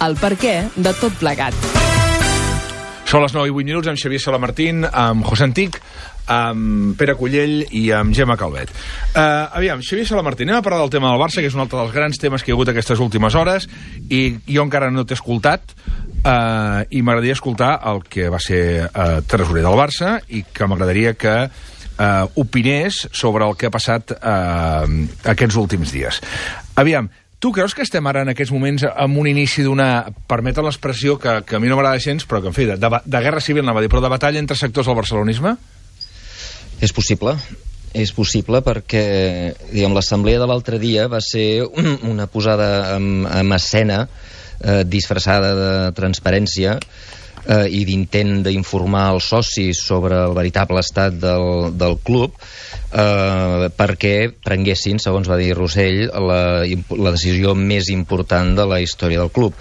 el perquè de tot plegat. Són les 9:08 amb Xavier Salamartín, amb José Antic, amb Pere Cullell i amb Gemma Calvet. Aviam, Xavier Salamartín, anem a parlar del tema del Barça, que és un altre dels grans temes que hi ha hagut aquestes últimes hores, i jo encara no t'he escoltat, i m'agradaria escoltar el que va ser tresorer del Barça, i que m'agradaria que opinés sobre el que ha passat aquests últims dies. Aviam, tu creus que estem ara en aquests moments amb un inici d'una, permeten l'expressió que a mi no m'agrada gens, però que en fi, de guerra civil, anava a dir, però de batalla entre sectors del barcelonisme? És possible perquè, diguem, l'assemblea de l'altre dia va ser una posada en escena disfressada de transparència i d'intent d'informar els socis sobre el veritable estat del club perquè prenguessin, segons va dir Rossell, la decisió més important de la història del club.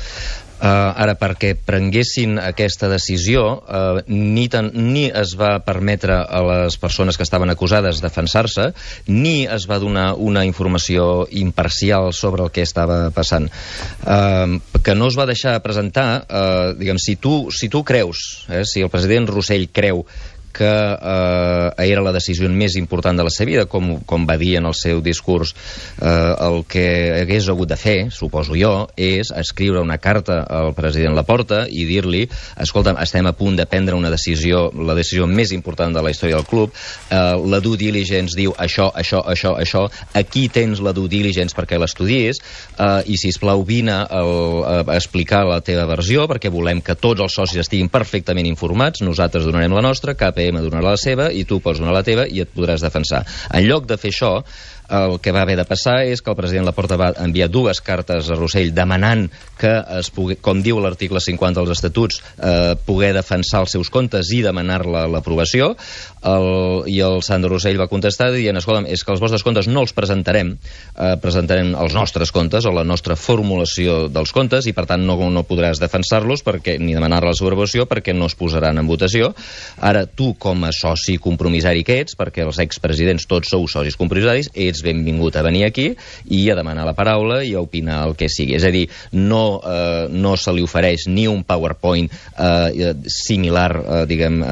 Ara, perquè prenguessin aquesta decisió, ni es va permetre a les persones que estaven acusades defensar-se, ni es va donar una informació imparcial sobre el que estava passant. Que no es va deixar presentar, diguem, si tu creus, si el president Rossell creu que era la decisió més important de la seva vida, com va dir en el seu discurs, el que hagués hagut de fer, suposo jo, és escriure una carta al president Laporta i dir-li, escolta, estem a punt de prendre una decisió, la decisió més important de la història del club, la due diligence diu això, aquí tens la due diligence perquè l'estudies, i sisplau vine a explicar la teva versió, perquè volem que tots els socis estiguin perfectament informats, nosaltres donarem la nostra, KPM donarà la seva i tu pots donar la teva i et podràs defensar. En lloc de fer això, el que va haver de passar és que el president Laporta va enviar 2 cartes a Rossell demanant que es pugui, com diu l'article 50 dels estatuts, poder defensar els seus comptes i demanar-la l'aprovació, i el Sandro Rossell va contestar dient, escolta'm, és que els vostres comptes no els presentarem, presentarem els nostres comptes o la nostra formulació dels comptes i per tant no podràs defensar-los ni demanar la seva aprovació perquè no es posaran en votació. Ara tu com a soci compromissari que ets, perquè els expresidents tots sou socis compromissaris, ets benvingut a venir aquí i a demanar la paraula i a opinar el que sigui. És a dir, no se li ofereix ni un PowerPoint similar, diguem,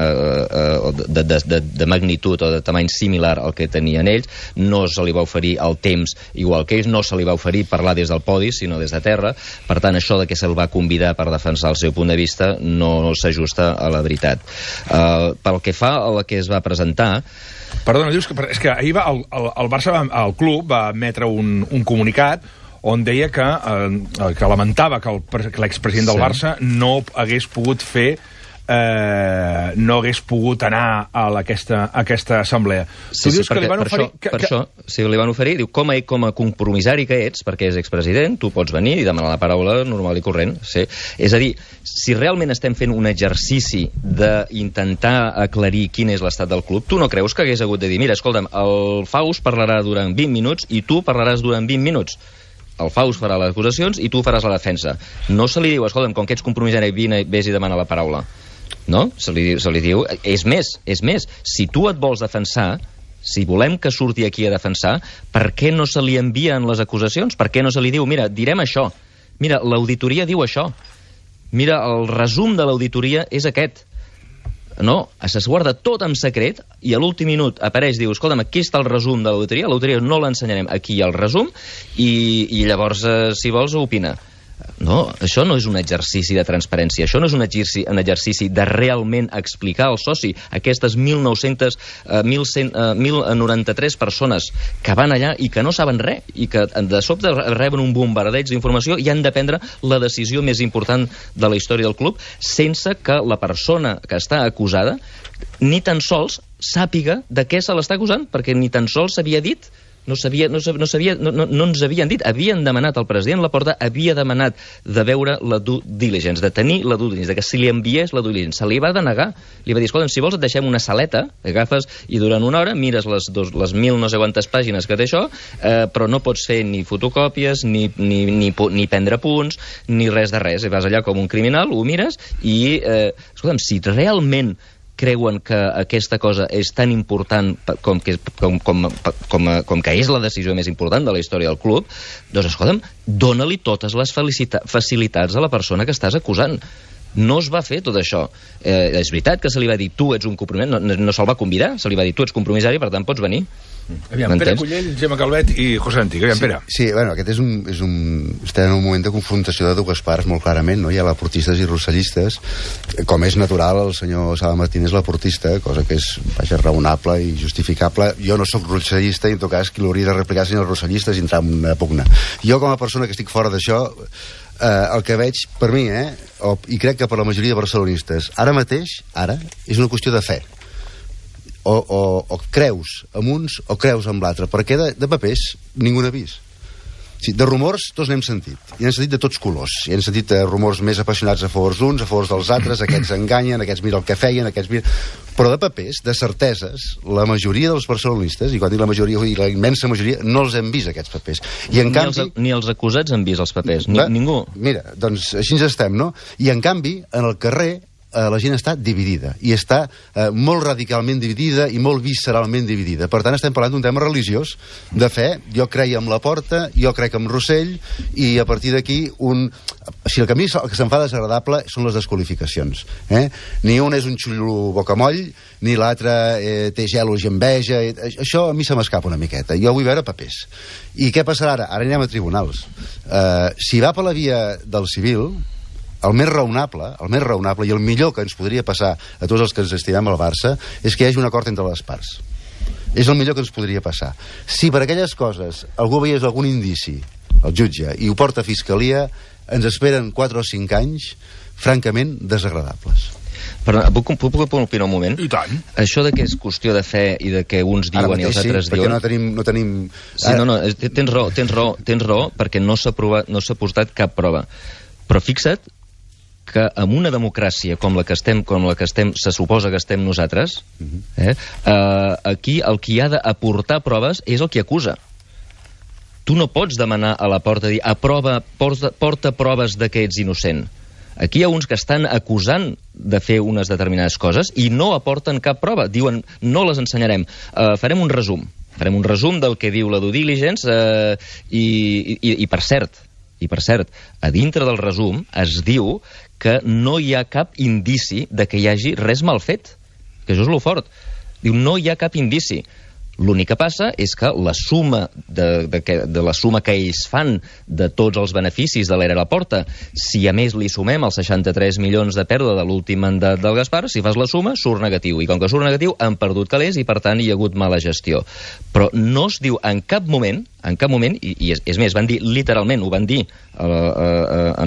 de magnitud o de tamany similar al que tenien ells, no se li va oferir el temps igual que ells, no se li va oferir parlar des del podi, sinó des de terra. Per tant, això de que se'l va convidar per defensar el seu punt de vista no s'ajusta a la veritat. Pel que fa a la que es va presentar... Perdona, dius que és que ahir el Barça, el club, va emetre un comunicat on deia que lamentava que l'expresident del Barça no hagués pogut fer no hagués pogut anar a aquesta assemblea. Sí, perquè li van oferir... Per això, si li van oferir, diu, com a compromissari que ets, perquè és expresident, tu pots venir i demanar la paraula normal i corrent. Sí. És a dir, si realment estem fent un exercici d'intentar aclarir quin és l'estat del club, tu no creus que hagués hagut de dir, mira, escolta'm, el Faust parlarà durant 20 minuts i tu parlaràs durant 20 minuts. El Faust farà les acusacions i tu faràs la defensa. No se li diu, escolta'm, com que ets compromissari, vés i demana la paraula. No? Se li diu... És més, si tu et vols defensar, si volem que surti aquí a defensar, per què no se li envien les acusacions? Per què no se li diu, mira, direm això, mira, l'auditoria diu això, mira, el resum de l'auditoria és aquest. No, es guarda tot en secret i a l'últim minut apareix, diu, escolta'm, aquí està el resum de l'auditoria no l'ensenyarem, aquí hi ha el resum i llavors, si vols, opina. No, això no és un exercici de transparència, això no és un exercici de realment explicar al soci aquestes 1.093 persones que van allà i que no saben res i que de sobte reben un bombardeig d'informació i han de prendre la decisió més important de la història del club sense que la persona que està acusada ni tan sols sàpiga de què se l'està acusant, perquè ni tan sols s'havia dit. No ens havien dit, havien demanat al president Laporta, havia demanat de veure la due diligence, de tenir la due diligence, de que si li enviés la due diligence, se li va denegar. Li va dir, escolta, si vols et deixem una saleta, agafes i durant una hora mires les 1.000 no sé quantes pàgines que té això, però no pots fer ni fotocòpies, ni prendre punts, ni res de res. I vas allà com un criminal, ho mires i, escolta'm, si realment creuen que aquesta cosa és tan important com que és la decisió més important de la història del club, doncs, escolta'm, dóna-li totes les facilitats a la persona que estàs acusant. No es va fer tot això. És veritat que se li va dir tu ets un compromís, no se'l va convidar, se li va dir tu ets compromissari, per tant pots venir. Aviam, Pere Cullell, Gemma Calvet i José Antic. Aviam, Pere. Sí, bueno, aquest estem en un moment de confrontació de dues parts, molt clarament, no? Hi ha laportistes i rossellistes. Com és natural, el senyor Sala Martín és laportista, cosa que és, vaja, raonable i justificable. Jo no sóc rossellista i, en tot cas, qui l'hauria de replicar senyors rossellistes i entrar en una pugna. Jo, com a persona que estic fora d'això, el que veig, per mi, i crec que per la majoria de barcelonistes, ara mateix, és una qüestió de fe. O creus amb uns o creus amb l'altre, perquè de papers ningú n'ha vist. Sí, de rumors tots n'hem sentit, i n'hem sentit de tots colors. I hem sentit rumors més apassionats a favor d'uns, a favor dels altres, aquests enganyen, aquests mira el que feien, aquests mira... Però de papers, de certeses, la majoria dels barcelonistes, i quan dic la majoria, i la immensa majoria, no els hem vist, aquests papers. I en canvi... Ni els acusats han vist els papers, ningú. Mira, doncs així ens estem, no? I en canvi, en el carrer, la gent està dividida, i està molt radicalment dividida i molt visceralment dividida. Per tant, estem parlant d'un tema religiós, de fe. Jo creia en Laporta, jo crec en Rossell, i a partir d'aquí Si el camí que se'm fa desagradable són les desqualificacions. Ni un és un xullo bocamoll, ni l'altre té gelos i enveja. Això a mi se m'escapa una miqueta. Jo vull veure papers. I què passarà ara? Ara anirem a tribunals. Si va per la via del civil, el més raonable i el millor que ens podria passar a tots els que ens estimem al Barça és que hi hagi un acord entre les parts. És el millor que ens podria passar. Si per aquelles coses algú veiés algun indici, el jutge, i ho porta a Fiscalia, ens esperen 4 o 5 anys francament desagradables. Però puc opinar un moment? I tant. Això de que és qüestió de fe i de que uns diuen i els altres diuen... Perquè no tenim... Sí, tens raó, perquè no s'ha portat cap prova. Però fixa't que en una democràcia com la que estem, se suposa que estem nosaltres, aquí el qui ha d'aportar proves és el qui acusa. Tu no pots demanar a la porta dir porta proves de que ets innocent. Aquí hi ha uns que estan acusant de fer unes determinades coses i no aporten cap prova. Diuen, no les ensenyarem. Farem un resum. Farem un resum del que diu la due diligence i per cert, a dintre del resum es diu que no hi ha cap indici de que hi hagi res mal fet. Que això és lo fort. Diu, no hi ha cap indici. L'únic que passa és que la suma de la suma que ells fan de tots els beneficis de l'era Laporta, si a més li sumem els 63 milions de pèrdua de l'últim mandat del Gaspar, si fas la suma, surt negatiu. I com que surt negatiu, han perdut calés i, per tant, hi ha hagut mala gestió. Però no es diu en cap moment, i és més, van dir literalment, ho van dir a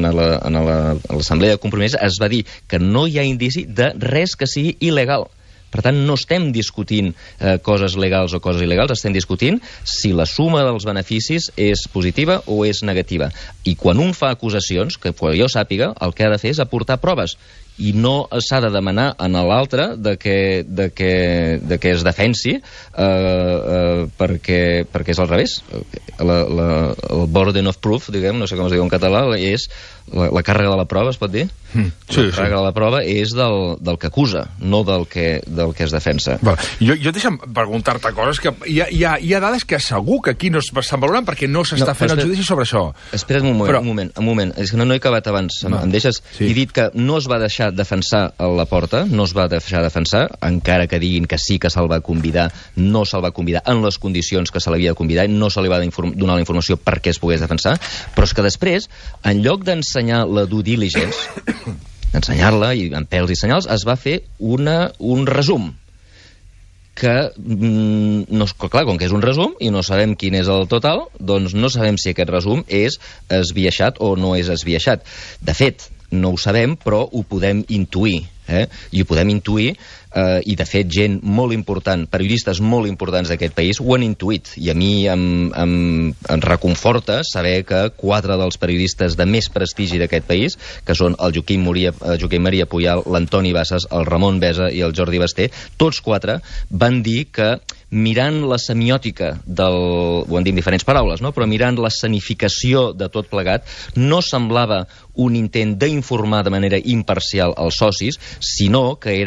l'Assemblea de Compromís, es va dir que no hi ha indici de res que sigui il·legal. Per tant, no estem discutint coses legals o coses il·legals, estem discutint si la suma dels beneficis és positiva o és negativa. I quan un fa acusacions, que jo sàpiga, el que ha de fer és aportar proves. I no s'ha de demanar a l'altre que es defensi perquè és al revés. El burden of proof, diguem, no sé com es diu en català, és la càrrega de la prova, es pot dir? La càrrega de la prova és del que acusa, no del que es defensa. Jo deixa'm preguntar-te coses que hi ha dades que segur que aquí no s'estan valorant perquè no s'està fent el judici sobre això. Espera't un moment. És que no he acabat abans. Em deixes? He dit que no es va deixar defensar a Laporta, no es va deixar defensar, encara que diguin que sí que se'l va convidar, no se'l va convidar en les condicions que se l'havia de convidar i no se li va donar la informació perquè es pogués defensar, però és que després, en lloc d'ensenyar la due diligence, d'ensenyar-la i amb pèls i senyals, es va fer un resum que, clar, com que és un resum i no sabem quin és el total, doncs no sabem si aquest resum és esbiaixat o no és esbiaixat. De fet, no ho sabem, però ho podem intuir. I ho podem intuir, i de fet gent molt important, periodistes molt importants d'aquest país ho han intuït, i a mi em reconforta saber que 4 dels periodistes de més prestigi d'aquest país, que són el Joaquim Maria Puyal, l'Antoni Bassas, el Ramon Besa i el Jordi Basté, tots 4 van dir que mirant la semiòtica ho han dit en diferents paraules, no? Però mirant l'escenificació de tot plegat, no semblava un intent d'informar de manera imparcial als socis, sinó que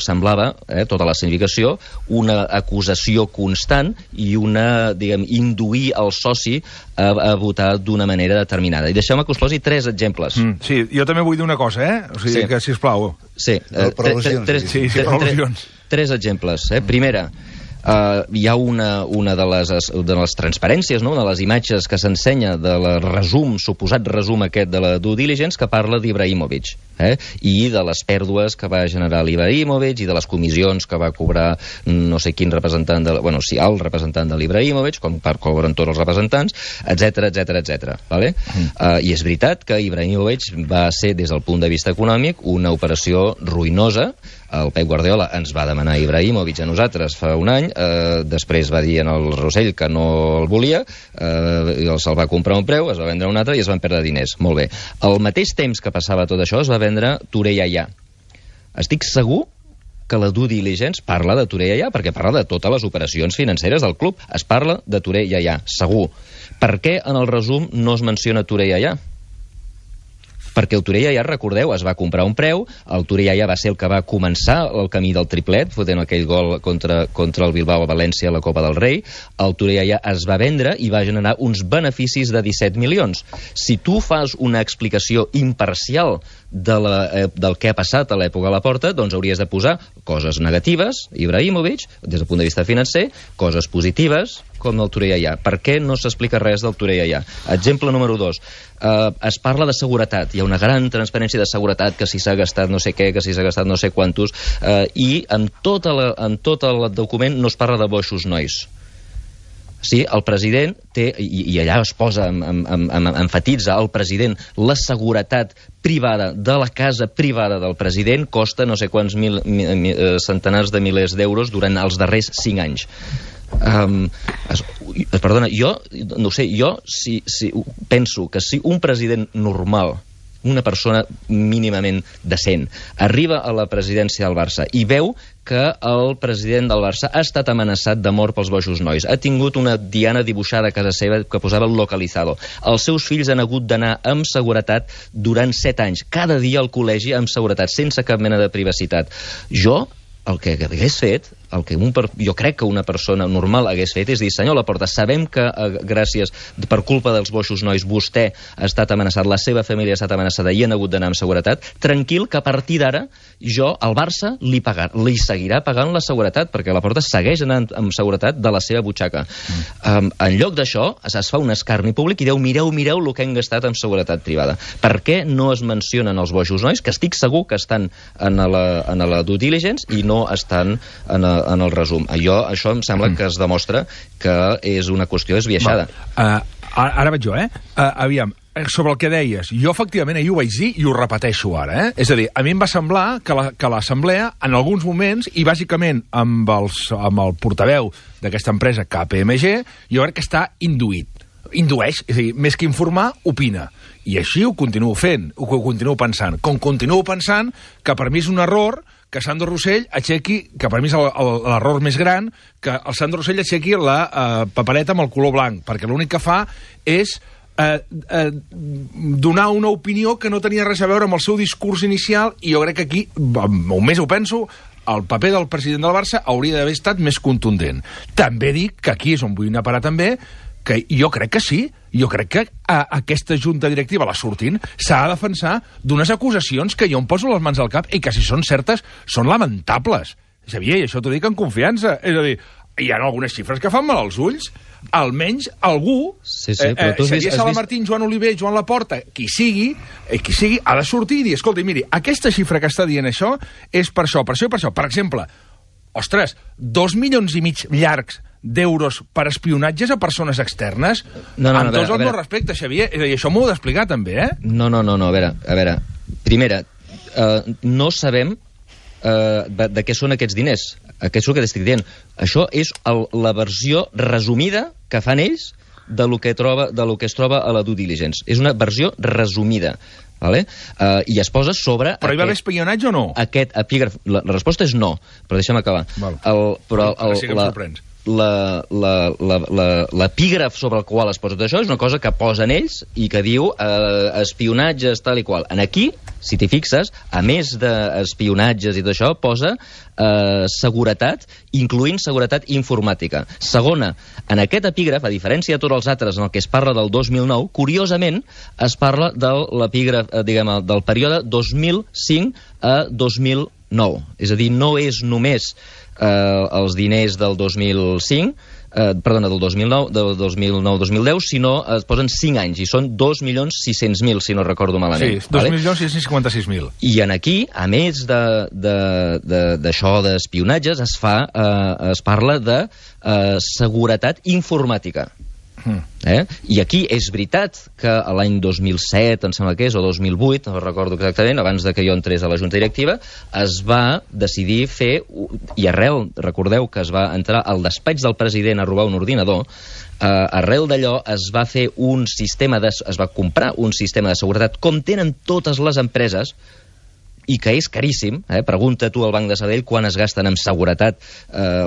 semblava semblava, tota la significació, una acusació constant i una, induir el soci a votar d'una manera determinada. I deixeu-me que us posi 3 exemples. Sí, jo també vull dir una cosa, O sigui que, sisplau. Sí, per al·lusions. 3 exemples. Primera, hi ha una de les transparències, no? Una de les imatges que s'ensenya de la suposat resum aquest de la due diligence, que parla d'Ibrahimovic, i de les pèrdues que va generar l'Ibrahimovic i de les comissions que va cobrar no sé quin representant el representant de l'Ibrahimovic, com cobren tots els representants, etc. Vale? I és veritat que Ibrahimovic va ser, des del punt de vista econòmic, una operació ruïnosa. El Pep Guardiola ens va demanar Ibrahimovic a nosaltres fa un any, després va dir al Rossell que no el volia, se'l va comprar a un preu, es va vendre a un altre i es van perdre diners. Molt bé. Al mateix temps que passava tot això, es va vendre Touré Yaya. Estic segur que la due diligence parla de Touré Yaya, perquè parla de totes les operacions financeres del club. Es parla de Touré Yaya, segur. Per què en el resum no es menciona Touré Yaya? Perquè el Touré Yaya, recordeu, es va comprar a un preu, el Touré Yaya va ser el que va començar el camí del triplet, fotent aquell gol contra el Bilbao a València a la Copa del Rei. El Touré Yaya es va vendre i va generar uns beneficis de 17 milions. Si tu fas una explicació imparcial del que ha passat a l'època a la Porta, doncs hauries de posar coses negatives, Ibrahimovic, des del punt de vista financer, coses positives, com el Touré Yaya. Per què no s'explica res del Touré Yaya? Exemple número 2. Es parla de seguretat. Hi ha una gran transparència de seguretat, que si s'ha gastat no sé què, que si s'ha gastat no sé quantos, i en tot el document no es parla de boixos nois. Sí, el president té, i allà es posa, enfatitza el president, la seguretat privada de la casa privada del president costa no sé quants centenars de milers d'euros durant els darrers 5 anys. Perdona, jo no sé, si penso que si un president normal, una persona mínimament decent, arriba a la presidència del Barça i veu que el president del Barça ha estat amenaçat de mort pels boixos nois, ha tingut una diana dibuixada a casa seva que posava el localizado, els seus fills han hagut d'anar amb seguretat durant 7 anys, cada dia al col·legi amb seguretat, sense cap mena de privacitat. Jo, el que hagués fet, jo crec que una persona normal hagués fet, és dir, senyor Laporta, sabem que gràcies, per culpa dels boixos nois, vostè ha estat amenaçat, la seva família ha estat amenaçada i han hagut d'anar amb seguretat, tranquil, que a partir d'ara jo, al Barça, li seguirà pagant la seguretat, perquè Laporta segueix anant amb seguretat de la seva butxaca. En lloc d'això, es fa un escarni públic i diu, mireu el que hem gastat amb seguretat privada. Per què no es mencionen els boixos nois, que estic segur que estan en la due diligence i no estan en el resum? Això em sembla que es demostra que és una qüestió esbiaixada. Ara vaig jo, aviam, sobre el que deies, jo efectivament ahir ho vaig dir i ho repeteixo ara, És a dir, a mi em va semblar que l'Assemblea, en alguns moments, i bàsicament amb el portaveu d'aquesta empresa KPMG, jo crec que està indueix, és a dir, més que informar, opina. I així ho continuo fent, ho continuo pensant. Com continuo pensant que per mi és un error que Sandro Rossell aixequi, que per mi és l'error més gran, que el Sandro Rossell aixequi la papereta amb el color blanc, perquè l'únic que fa és donar una opinió que no tenia res a veure amb el seu discurs inicial, i jo crec que aquí, més ho penso, el paper del president del Barça hauria d'haver estat més contundent. També dic que aquí és on vull anar a parar també, que jo crec que sí, jo crec que aquesta junta directiva, la sortint, s'ha de defensar d'unes acusacions que jo em poso les mans al cap i que, si són certes, són lamentables. Xavier, això t'ho dic en confiança. És a dir, hi ha algunes xifres que fan mal als ulls. Almenys algú, Xavier Salamartín, Joan Oliver, Joan Laporta, qui sigui, ha de sortir i dir, escolta, miri, aquesta xifra que està dient això és per això, per això i per això. Per exemple, ostres, 2,5 milions llargs d'euros per espionatges a persones externes? Amb tots els meus respectes, Xavier. És a dir, això m'ho heu d'explicar també, No, a veure. Primera, no sabem de què són aquests diners. Què és el que t'estic dient? Això és la versió resumida que fan ells de lo que es troba a la due diligence. És una versió resumida. Vale? I es posa sobre... Però hi va haver espionatge o no? Aquest epígraf. La resposta és no, però deixa'm acabar. Sí que em sorprens. L'epígraf sobre el qual es posa tot això és una cosa que posen ells i que diu espionatges tal i qual. Aquí si t'hi fixes, a més d'espionatges i tot això, posa seguretat, incloent seguretat informàtica. Segona, en aquest epígraf, a diferència de tots els altres en el que es parla del 2009, curiosament es parla de l'epígraf, del període 2005 a 2009. És a dir, no és només els diners del 2005, del 2009-2010, sinó es posen 5 anys, i són 2.600.000, si no recordo malament. Sí, 2.656.000. I en aquí, a més d'això d'espionatges, es parla de seguretat informàtica. I aquí és veritat que l'any 2007, em sembla que és, o 2008, no recordo exactament, abans de que jo entrés a la Junta Directiva, es va decidir fer, i recordeu que es va entrar al despatx del president a robar un ordinador, arrel d'allò es va fer es va comprar un sistema de seguretat, com tenen totes les empreses, i que és caríssim. Pregunta tu al Banc de Sabadell quan es gasten en seguretat,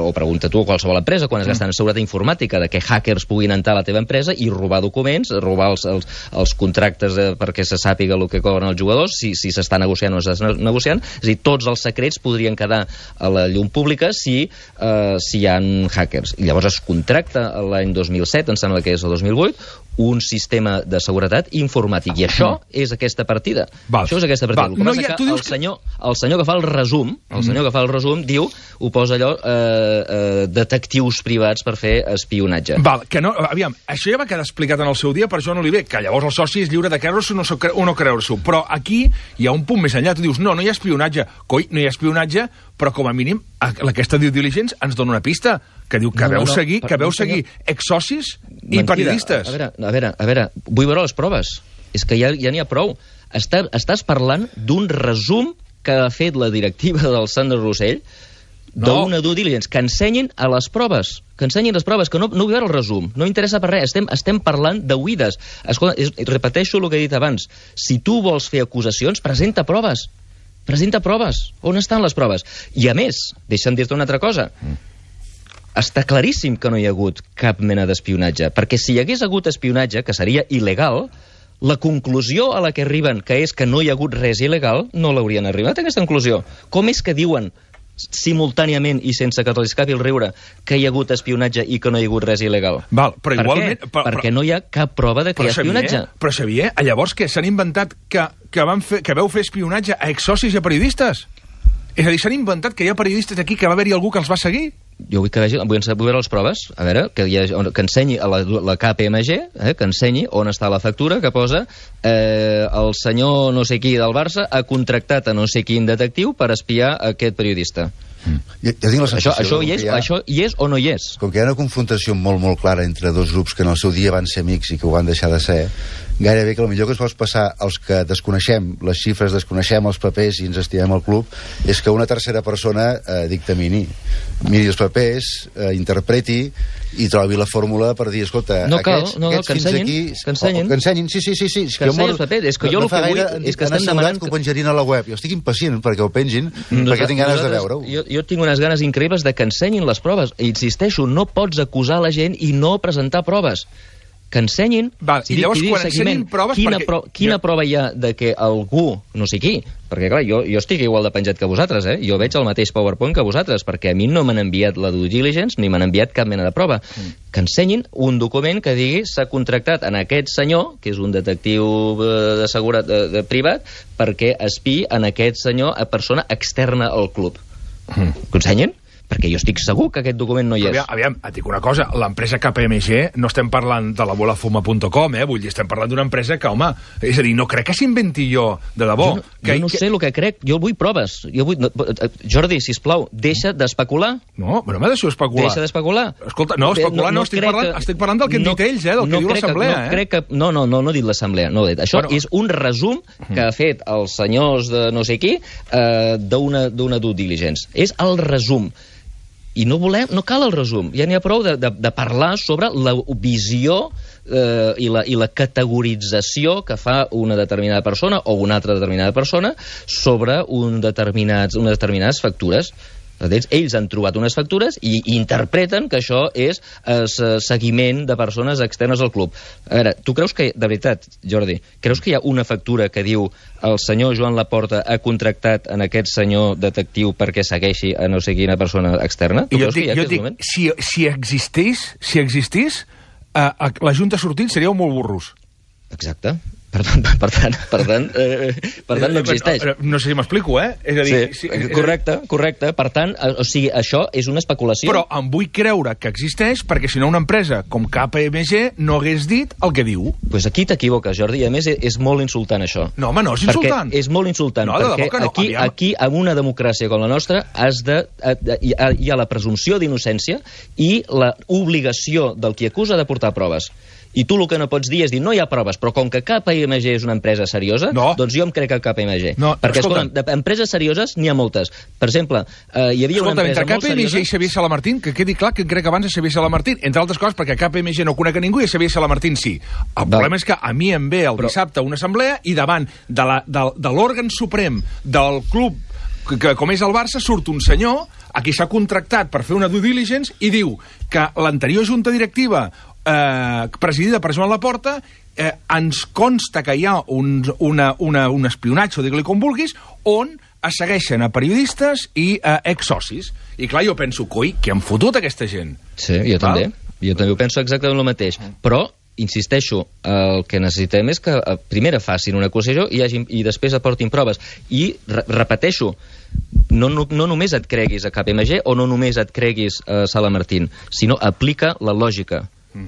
o pregunta tu a qualsevol empresa quan es gasten en seguretat informàtica, de que hackers puguin entrar a la teva empresa i robar documents, robar els contractes perquè se sàpiga el que cobren els jugadors, si s'està negociant o no s'està negociant. És a dir, tots els secrets podrien quedar a la llum pública si hi ha hackers. I llavors es contracta l'any 2007, em sembla que és el 2008, un sistema de seguretat informàtic. I això és aquesta partida. Això és aquesta partida. El que passa que el senyor que fa el resum, diu, ho posa allò, detectius privats per fer espionatge. Aviam, això ja va quedar explicat en el seu dia per Joan Oliver, que llavors el soci és lliure de creure-s'ho o no creure-s'ho. Però aquí hi ha un punt més enllà. Tu dius, no hi ha espionatge. Coi, no hi ha espionatge, però com a mínim aquesta due diligence ens dona una pista, que diu que veu seguir exsocis i periodistes. A veure, vull veure les proves. És que ja n'hi ha prou. Estàs parlant d'un resum que ha fet la directiva del Sandro Rossell d'una due diligence. Que ensenyin a les proves. Que no vull veure el resum. No interessa per res. Estem parlant d'oïdes. Escolta, repeteixo el que he dit abans. Si tu vols fer acusacions, presenta proves. On estan les proves? I a més, deixa'm dir-te una altra cosa. Està claríssim que no hi ha hagut cap mena d'espionatge, perquè si hi hagués hagut espionatge, que seria il·legal, la conclusió a la que arriben, que és que no hi ha hagut res il·legal, no l'haurien arribat a aquesta conclusió. Com és que diuen simultàniament i sense que els escapi el riure que hi ha hagut espionatge i que no hi ha hagut res il·legal? Però igualment... Perquè no hi ha cap prova de que hi ha espionatge. Però Xavier, llavors què? S'han inventat que veu fer espionatge a exsocis i a periodistes? És a dir, s'han inventat que hi ha periodistes aquí, que va haver-hi algú que els va seguir? Jo vull veure les proves, a veure, que ensenyi a la KPMG, que ensenyi on està la factura, que posa el senyor no sé qui del Barça ha contractat a no sé quin detectiu per espiar aquest periodista. Ja tinc la sensació això hi és o no hi és? Com que hi ha una confrontació molt clara entre dos grups que en el seu dia van ser amics i que ho van deixar de ser, gairebé que el millor que es pot passar als que desconeixem les xifres, desconeixem els papers i ens estimem el club, és que una tercera persona dictamini, miri els papers, interpreti i trobi la fórmula per dir, escolta, aquests fins aquí... Que ensenyin, sí. Que ensenyin els papers. És que jo el que vull és que estem demanant... que ho penjarien a la web. Jo estic impacient perquè ho pengin, perquè tinc ganes de veure-ho. Jo tinc unes ganes increïbles de que ensenyin les proves. I insisteixo, no pots acusar la gent i no presentar proves. Que ensenyin... I llavors, quan ensenyin proves... Quina prova hi ha de que algú, no sé qui, perquè clar, jo estic igual de penjat que vosaltres, jo veig el mateix PowerPoint que vosaltres, perquè a mi no m'han enviat la due diligence ni m'han enviat cap mena de prova. Que ensenyin un document que digui s'ha contractat en aquest senyor, que és un detectiu de seguretat privat, perquè espiï en aquest senyor a persona externa al club. Que ensenyin? Perquè jo estic segur que aquest document no hi és. Aviam, et dic una cosa, l'empresa KPMG no estem parlant de la bolafuma.com, vull dir, estem parlant d'una empresa que, home, és a dir, no crec que s'inventi jo, de debò. Jo no sé el que crec, jo vull proves. Jordi, sisplau, deixa d'especular. No, però m'ha deixat especular. Deixa d'especular. Escolta, no, especular no, estic parlant del que han dit ells, del que diu l'Assemblea. No he dit l'Assemblea, no he dit. Això és un resum que ha fet els senyors de no sé qui d'una due diligence. És el resum. I no cal el resum, ja n'hi ha prou de parlar sobre la visió i la categorització que fa una determinada persona o una altra determinada persona sobre unes determinades factures. Ells han trobat unes factures i interpreten que això és seguiment de persones externes al club. A veure, tu creus que, de veritat, Jordi, creus que hi ha una factura que diu el senyor Joan Laporta ha contractat en aquest senyor detectiu perquè segueixi a no sé quina persona externa? Tu creus que hi ha aquest moment? Si existís, la Junta ha sortit, seríeu molt burros. Exacte. Per tant, no existeix. No sé si m'explico, És a dir... Sí, correcte. Per tant, o sigui, això és una especulació. Però em vull creure que existeix perquè si no una empresa com KPMG no hagués dit el que diu. Doncs aquí t'equivoques, Jordi, i a més és molt insultant això. No, home, no és insultant. Perquè és molt insultant, perquè aquí, en una democràcia com la nostra, hi ha la presumpció d'innocència i l'obligació del qui acusa de portar proves. I tu el que no pots dir és dir, no hi ha proves, però com que KPMG és una empresa seriosa, doncs jo em crec a KPMG. Perquè, escolta, d'empreses serioses n'hi ha moltes. Per exemple, hi havia una empresa molt seriosa... Entre KPMG i Xavier Salamartín, que quedi clar que crec abans a Xavier Salamartín, entre altres coses perquè KPMG no conec a ningú i a Xavier Salamartín sí. El problema és que a mi em ve el dissabte una assemblea i davant de l'òrgan suprem del club, que com és el Barça, surt un senyor a qui s'ha contractat per fer una due diligence i diu que l'anterior junta directiva presidida per Joan Laporta ens consta que hi ha un espionatge, o digue-li com vulguis, on es segueixen a periodistes i a exsocis. I clar, jo penso, coi, què han fotut aquesta gent? Sí, jo també ho penso exactament el mateix. Però, insisteixo, el que necessitem és que primer facin una acusació i després aportin proves. I repeteixo, no només et creguis a KPMG o no només et creguis a Salamartín, sinó aplica la lògica.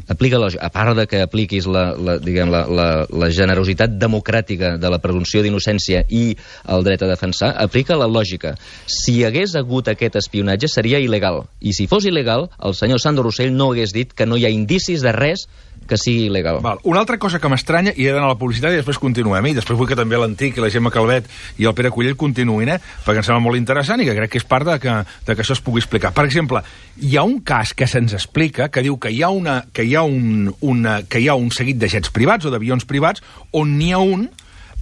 Aplica la lògica. A part de que apliquis la generositat democràtica de la presumpció d'innocència i el dret a defensar, aplica la lògica. Si hi hagués hagut aquest espionatge seria il·legal. I si fos il·legal, el senyor Sandro Rossell no hagués dit que no hi ha indicis de res que sigui il·legal. Una altra cosa que m'estranya, i he d'anar a la publicitat i després continuem, i després vull que també l'Antic i la Gemma Calvet i el Pere Cullell continuïn, perquè em sembla molt interessant i que crec que és part de que això es pugui explicar. Per exemple, hi ha un cas que se'ns explica que diu que hi ha un seguit de jets privats o d'avions privats on n'hi ha un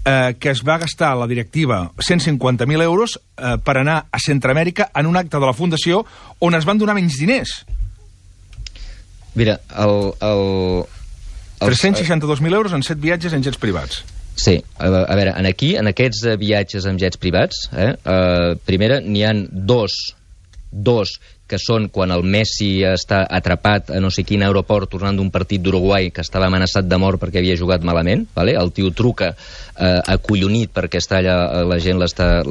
que es va gastar la directiva 150.000 euros per anar a Centroamèrica en un acte de la Fundació on es van donar menys diners. Mira, 362.000 euros en 7 viatges en jets privats. Sí, a veure, en aquests viatges amb jets privats, primera, n'hi ha dos que són quan el Messi està atrapat a no sé quin aeroport tornant d'un partit d'Uruguai que estava amenaçat de mort perquè havia jugat malament, el tio truca acollonit perquè està allà, la gent l'està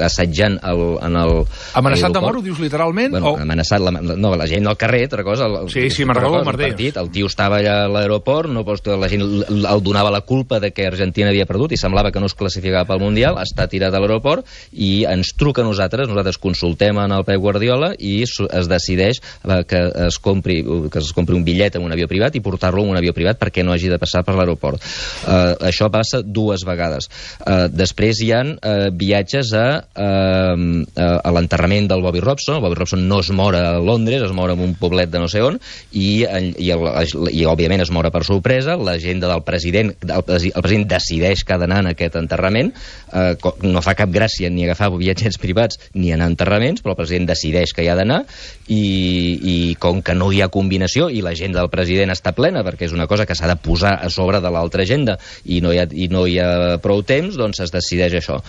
assetjant en el... Amenaçat de mort, ho dius literalment? Bueno, amenaçat, no, la gent al carrer, altra cosa... Sí, me'n recordo el partit. El tio estava allà a l'aeroport, la gent el donava la culpa de que Argentina havia perdut i semblava que no es classificava pel Mundial, està tirat a l'aeroport i ens truca a nosaltres consultem en el Pep Guardiola i es decideix que es compri un bitllet en un avió privat i portar-lo en un avió privat perquè no hagi de passar per l'aeroport. Això passa 2 vegades. Després hi ha viatges a l'enterrament del Bobby Robson. El Bobby Robson no es mor a Londres, es mor en un poblet de no sé on i òbviament es mor per sorpresa. L'agenda del president, el president decideix que ha d'anar en aquest enterrament. No fa cap gràcia ni agafar viatgets privats ni anar a enterraments, però el president decideix que hi ha d'anar i com que no hi ha combinació i l'agenda del president està plena perquè és una cosa que s'ha de posar a sobre de l'altra agenda i no hi ha prou temps, doncs es decideix això.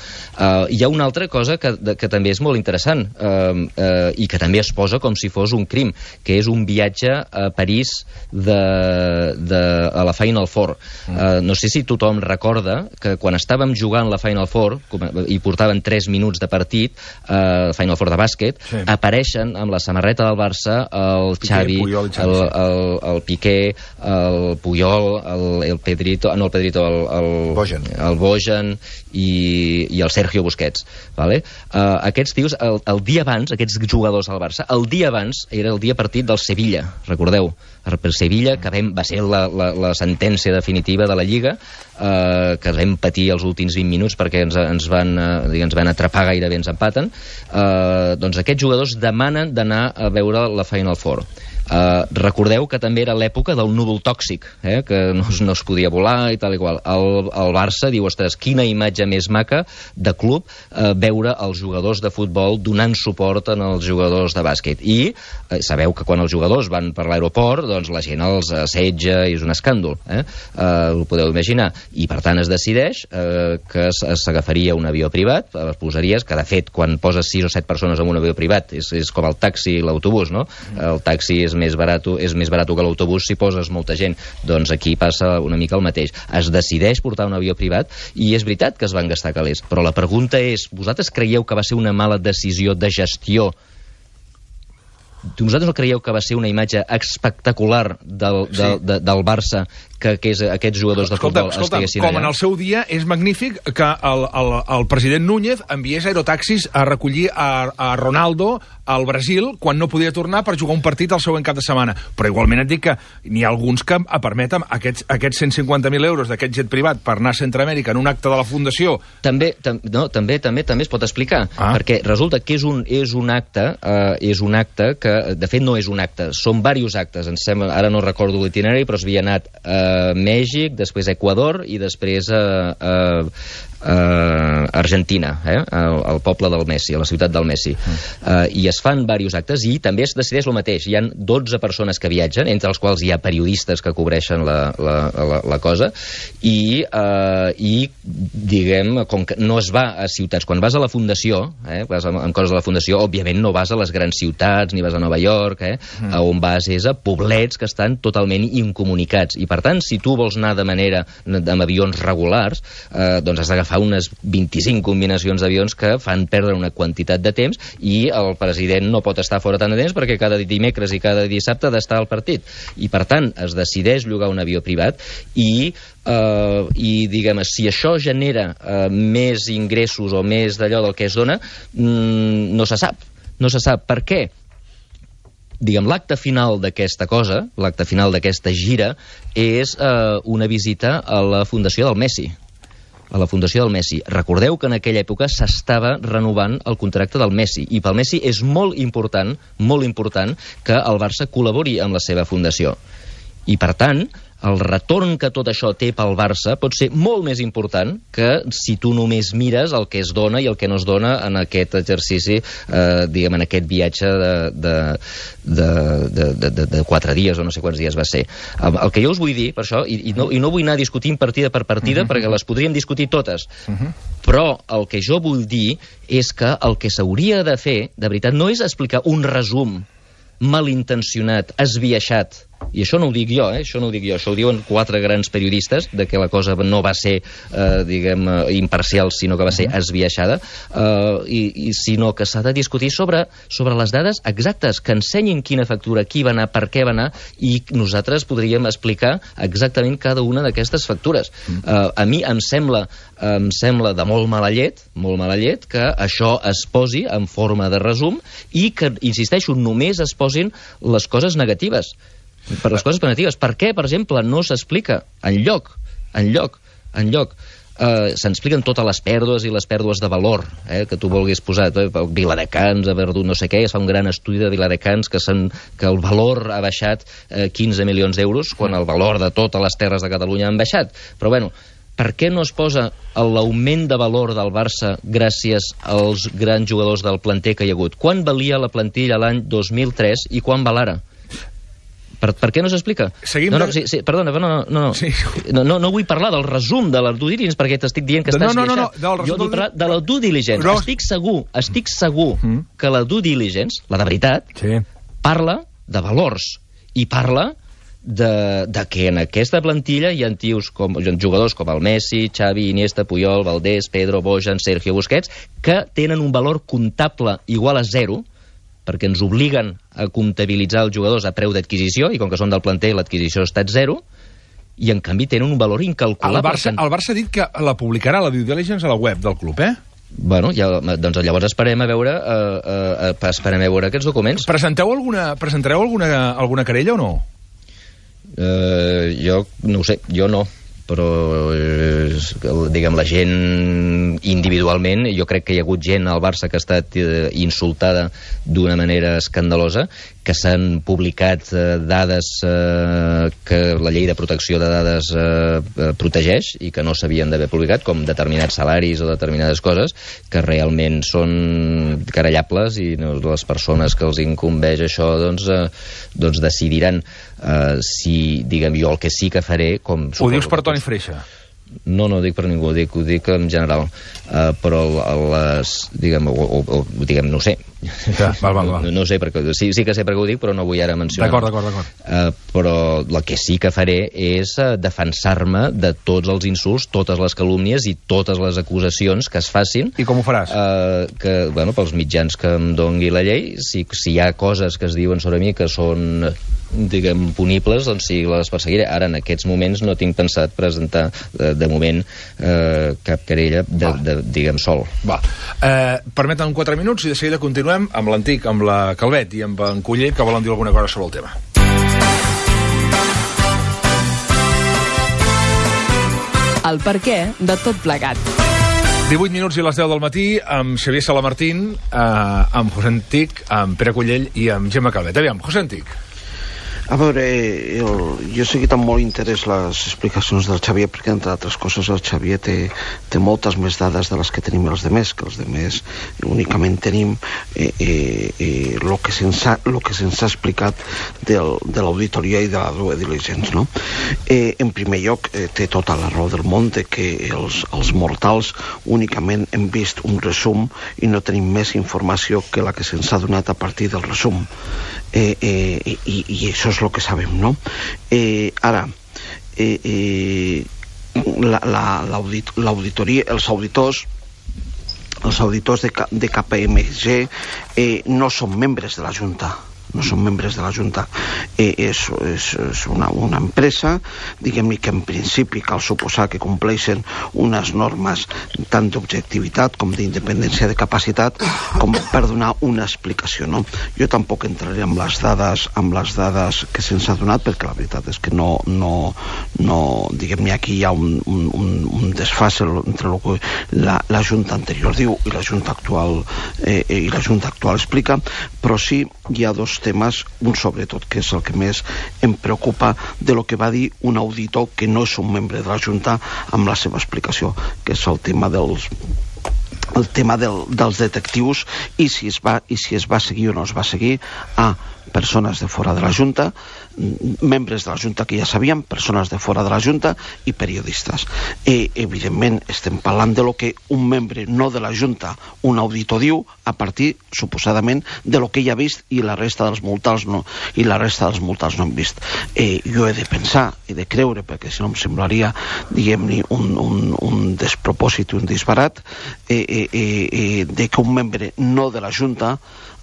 Hi ha una altra cosa que també és molt interessant i que també es posa com si fos un crim, que és un viatge a París a la Final Four. No sé si tothom recorda que quan estàvem jugant la Final Four i portaven 3 minuts de partit, Final Four de bàsquet, apareixen amb la samarreta del Barça el Xavi, el Piqué, el Puyol, el Pedrito, no el Pedrito, el Bojan i el Sergio Busquets. Aquests tios, el dia abans, aquests jugadors del Barça, el dia abans era el dia partit del Sevilla, recordeu? Per Sevilla, que va ser la sentència definitiva de la Lliga, que vam patir els últims 20 minuts perquè ens van atrapar gairebé, ens empaten, doncs aquests jugadors demanen d'anar a veure la Final Four. Recordeu que també era l'època del núvol tòxic, que no es podia volar i tal i qual. El Barça diu, ostres, quina imatge més maca de club veure els jugadors de futbol donant suport als jugadors de bàsquet. I sabeu que quan els jugadors van per l'aeroport, doncs la gent els assetja i és un escàndol, ho podeu imaginar. I per tant es decideix que s'agafaria un avió privat, posaries, que de fet quan poses 6 o 7 persones en un avió privat és com el taxi i l'autobús, no? El taxi és més barat que l'autobús si poses molta gent. Doncs aquí passa una mica el mateix. Es decideix portar un avió privat i és veritat que es van gastar calés, però la pregunta és, vosaltres creieu que va ser una mala decisió de gestió? Vosaltres no creieu que va ser una imatge espectacular del Barça que aquests jugadors de futbol estiguessin allà? Com en el seu dia és magnífic que el president Núñez enviés aerotaxis a recollir a Ronaldo al Brasil quan no podia tornar per jugar un partit el següent cap de setmana. Però igualment et dic que n'hi ha alguns que permeten aquests 150.000 euros d'aquest jet privat per anar a Centroamèrica en un acte de la Fundació. També es pot explicar, perquè resulta que és un acte que, de fet, no és un acte, són diversos actes. Ara no recordo l'itinerari, però s'havia anat a Mèxic, després a Equador i després a Argentina, al poble del Messi, a la ciutat del Messi. I es fan diversos actes i també es decideix el mateix. Hi ha 12 persones que viatgen, entre els quals hi ha periodistes que cobreixen la cosa, i diguem, com que no es va a ciutats, quan vas a la Fundació, vas amb coses de la Fundació, òbviament no vas a les grans ciutats, ni vas a Nova York, on vas és a poblets que estan totalment incomunicats, i per tant, si tu vols anar amb avions regulars, doncs has d'agafar unes 25 combinacions d'avions que fan perdre una quantitat de temps, i el president no pot estar fora tant de temps perquè cada dimecres i cada dissabte ha d'estar al partit, i per tant es decideix llogar un avió privat i diguem, si això genera més ingressos o més d'allò del que es dona, no se sap per què. Diguem, l'acte final d'aquesta cosa, l'acte final d'aquesta gira, és una visita a la Fundació del Messi. Recordeu que en aquella època s'estava renovant el contracte del Messi, i pel Messi és molt important que el Barça col·labori amb la seva fundació. I per tant, el retorn que tot això té pel Barça pot ser molt més important que si tu només mires el que es dona i el que no es dona en aquest exercici, diguem, en aquest viatge de 4 dies o no sé quants dies va ser. El que jo us vull dir, per això, i no vull anar discutint partida per partida, perquè les podríem discutir totes, però el que jo vull dir és que el que s'hauria de fer, de veritat, no és explicar un resum malintencionat, esbiaixat. I això no ho dic jo, això ho diuen 4 grans periodistes, de que la cosa no va ser, diguem, imparcial, sinó que va ser esbiaixada, sinó que s'ha de discutir sobre les dades exactes, que ensenyin quina factura, qui va anar, per què va anar, i nosaltres podríem explicar exactament cada una d'aquestes factures. A mi em sembla de molt mala llet que això es posi en forma de resum i que, insisteixo, només es posin les coses negatives. Per les coses negatives. Per què, per exemple, no s'explica enlloc s'expliquen totes les pèrdues i les pèrdues de valor que tu vulguis posar, Viladecans ha perdut no sé què, es fa un gran estudi de Viladecans que el valor ha baixat 15 milions d'euros quan el valor de totes les terres de Catalunya han baixat, però bueno, per què no es posa l'augment de valor del Barça gràcies als grans jugadors del planter que hi ha hagut? Quan valia la plantilla l'any 2003 i quan val ara? Per què no s'explica? Perdona, no vull parlar del resum de la due diligence perquè t'estic dient que estàs esbiaixat. Jo vull parlar de la due diligence. Estic segur que la due diligence, la de veritat, parla de valors i parla de que en aquesta plantilla hi ha jugadors com el Messi, Xavi, Iniesta, Puyol, Valdés, Pedro, Bojan, Sergio Busquets, que tenen un valor comptable igual a 0, perquè ens obliguen a comptabilitzar els jugadors a preu d'adquisició, i com que són del planter l'adquisició ha estat 0, i en canvi tenen un valor incalculable. El Barça ha dit que la publicarà, la due diligence, a la web del club, Bueno, doncs llavors esperem a veure aquests documents. Presentareu alguna querella o no? Jo no ho sé, jo no. però diguem, la gent individualment, jo crec que hi ha hagut gent al Barça que ha estat insultada d'una manera escandalosa, que s'han publicat dades que la llei de protecció de dades protegeix i que no s'havien d'haver publicat, com determinats salaris o determinades coses, que realment són querellables, i les persones que els incumbeix això doncs decidiran. Si, diguem, jo el que sí que faré... Ho dius per Toni Freixa? No, no ho dic per ningú, ho dic en general. Però diguem, no ho sé. Ja, val. No ho sé, perquè sí que sé per què ho dic, però no vull ara mencionar. D'acord. Però el que sí que faré és defensar-me de tots els insults, totes les calúmnies i totes les acusacions que es facin. I com ho faràs? Pels mitjans que em dongui la llei, si hi ha coses que es diuen sobre mi que són, diguem, punibles, doncs sí, les perseguiré. Ara, en aquests moments, no tinc pensat presentar, de moment, cap querella, diguem, sol. Permetem 4 minuts i de seguida continuem amb l'Antic, amb la Calvet i amb en Culler, que volen dir alguna cosa sobre el tema. El perquè de tot plegat. 18 minuts i les 10 del matí, amb Xavier Salamartín, amb José Antic, amb Pere Cullell i amb Gemma Calvet. Aviam, José Antic. A veure, jo he seguit amb molt interès les explicacions del Xavier, perquè, entre altres coses, el Xavier té moltes més dades de les que tenim els demés, que els demés únicament tenim el que se'ns ha explicat de l'auditoria i de la due diligence, no? En primer lloc, té tota la raó del món de que els mortals únicament hem vist un resum i no tenim més informació que la que se'ns ha donat a partir del resum. I això és el que sabem, no? Ara, l'auditoria, els auditors de KPMG no són membres de la Junta. És una empresa, diguem-ne, que en principi cal suposar que compleixen unes normes tant d'objectivitat com d'independència de capacitat com per donar una explicació, no? Jo tampoc entraré amb les dades que se'ns ha donat, perquè la veritat és que no diguem-ne, aquí hi ha un desfase entre el que la Junta anterior diu i la Junta actual explica, però sí hi ha dos temes, un sobretot, que és el que més em preocupa, de lo que va dir un auditor que no és un membre de la Junta amb la seva explicació, que és el tema dels detectius i si es va seguir o no es va seguir a persones de fora de la Junta, membres de la Junta que ja sabíem, persones de fora de la Junta i periodistes. Evidentment estem parlant de lo que un membre no de la Junta, un auditor, diu a partir, suposadament, de lo que ell ha vist i la resta dels multals no han vist. Jo he de pensar, he de creure, perquè si no em semblaria, diguem-ne, un despropòsit, un disbarat, de que un membre no de la Junta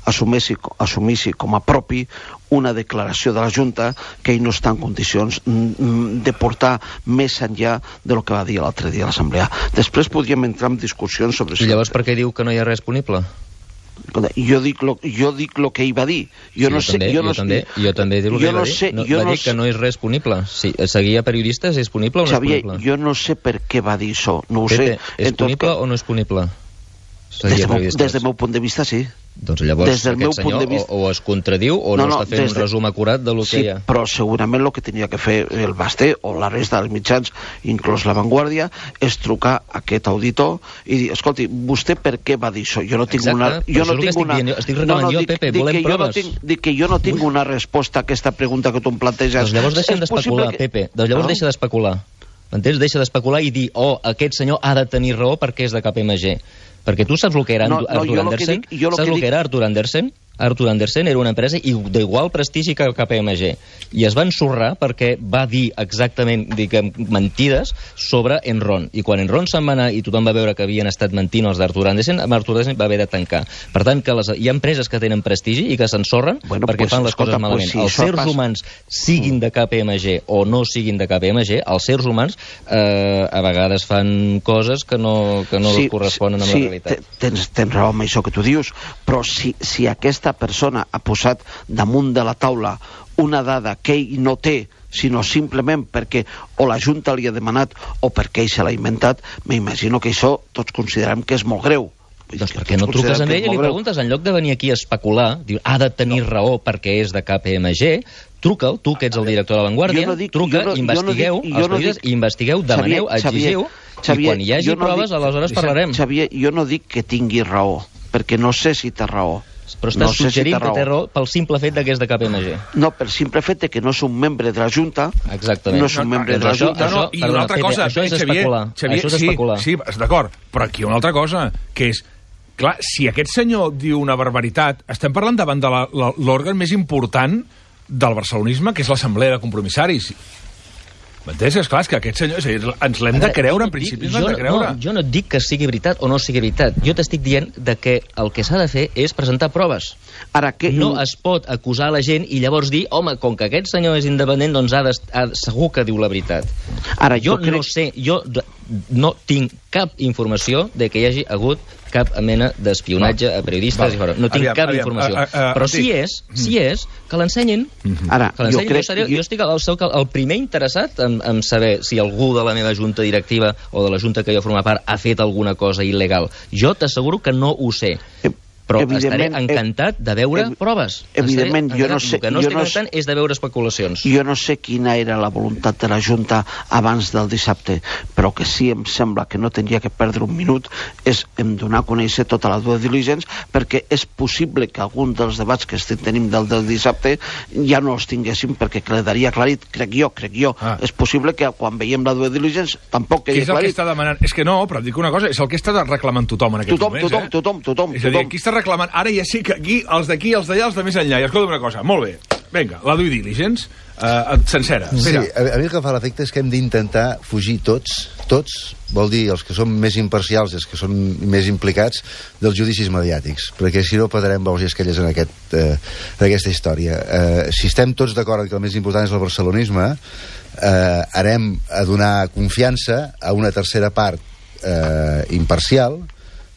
assumissi com a propi una declaració de la Junta que ell no està en condicions de portar més enllà de lo que va dir l'altre dia a l'Assemblea. Després podríem entrar en discussions sobre... I llavors per què diu que no hi ha res disponible? Jo dic lo que ell va dir. Jo també dic el que ell va dir. Va dir que no és res disponible. Seguia periodistes, és disponible o no és disponible? Jo no sé per què va dir això. No ho sé. És disponible o no és disponible? Des del meu punt de vista, sí. Doncs llavors aquest senyor o es contradiu o no està fent un resum acurat del que hi ha. Sí, però segurament el que tenia que fer el Basté o la resta dels mitjans, inclús La Vanguardia, és trucar a aquest auditor i dir, escolti, vostè per què va dir això? Jo no tinc una... Estic reclamant jo, Pepe, volem proves. Dic que jo no tinc una resposta a aquesta pregunta que tu em planteges. Doncs llavors deixem d'especular, Pepe. Doncs llavors deixa d'especular. M'entens? Deixa d'especular i dir, aquest senyor ha de tenir raó perquè és de KPMG. Perquè tu saps el que era Arthur Andersen? Saps el que era Arthur Andersen? Arthur Andersen era una empresa d'igual prestigi que KPMG i es va ensorrar perquè va dir exactament, diguem, mentides sobre Enron, i quan Enron se'n va anar i tothom va veure que havien estat mentint els d'Arthur Andersen, Arthur Andersen va haver de tancar. Per tant, que hi ha empreses que tenen prestigi i que s'ensorren perquè fan les coses malament. Els éssers humans, siguin de KPMG o no siguin de KPMG, els éssers humans a vegades fan coses que no corresponen amb la realitat. Tens raó amb això que tu dius, però si aquesta persona ha posat damunt de la taula una dada que ell no té sinó simplement perquè o la Junta li ha demanat o perquè ell se l'ha inventat, m'imagino que això tots considerem que és molt greu. Doncs per què no truques amb ell i li preguntes, en lloc de venir aquí a especular, diu, ha de tenir raó perquè és de KPMG, truca'l, tu que ets el director de La Vanguardia, truca, investigueu els periodistes, investigueu, demaneu, exigiu, i quan hi hagi proves, aleshores parlarem. Xavier, jo no dic que tingui raó, perquè no sé si té raó. Però estàs suggerint que té raó pel simple fet que és de KPMG. No, pel simple fet que no és un membre de la Junta. Exactament. No és un membre de la Junta. I una altra cosa, això és especular. Això és especular. Sí, d'acord, però aquí hi ha una altra cosa, que és, clar, si aquest senyor diu una barbaritat, estem parlant davant de l'òrgan més important del barcelonisme, que és l'Assemblea de Compromissaris. M'entens? Esclar, és que aquest senyor... ens l'hem de creure, en principi ens l'hem de creure. Jo no et dic que sigui veritat o no sigui veritat. Jo t'estic dient que el que s'ha de fer és presentar proves. Ara, no es pot acusar la gent i llavors dir, home, com que aquest senyor és independent, doncs segur que diu la veritat. Ara, jo no sé, jo no tinc cap informació de que hi hagi hagut cap mena d'espionatge a periodistes. No tinc cap informació. Però si és, que l'ensenyin. Ara, jo estic el primer interessat en saber si algú de la meva junta directiva o de la junta que jo formo part ha fet alguna cosa il·legal. Jo t'asseguro que no ho sé. Però estaré encantat de veure proves. Evidentment, jo no sé... El que no estic encantant és de veure especulacions. Jo no sé quina era la voluntat de la Junta abans del dissabte, però que sí em sembla que no tindria que perdre un minut és em donar a conèixer tota la due diligence, perquè és possible que algun dels debats que estem tenint del dissabte ja no els tinguéssim, perquè quedaria aclarit, crec jo. És possible que quan veiem la due diligence tampoc quedi aclarit. Què és el que està demanant? És que no, però et dic una cosa, és el que està reclamant tothom en aquests moments. Tothom. És a dir, aquí està reclamant, ara ja sí que aquí, els d'aquí, els d'allà, els de més enllà. I escolta una cosa, molt bé, vinga, la due diligence, sencera. Sí, a mi el que fa l'efecte és que hem d'intentar fugir tots, vol dir els que són més imparcials i els que són més implicats, dels judicis mediàtics, perquè si no perdrem bous i esquelles en aquesta història. Si estem tots d'acord que el més important és el barcelonisme, anem a donar confiança a una tercera part imparcial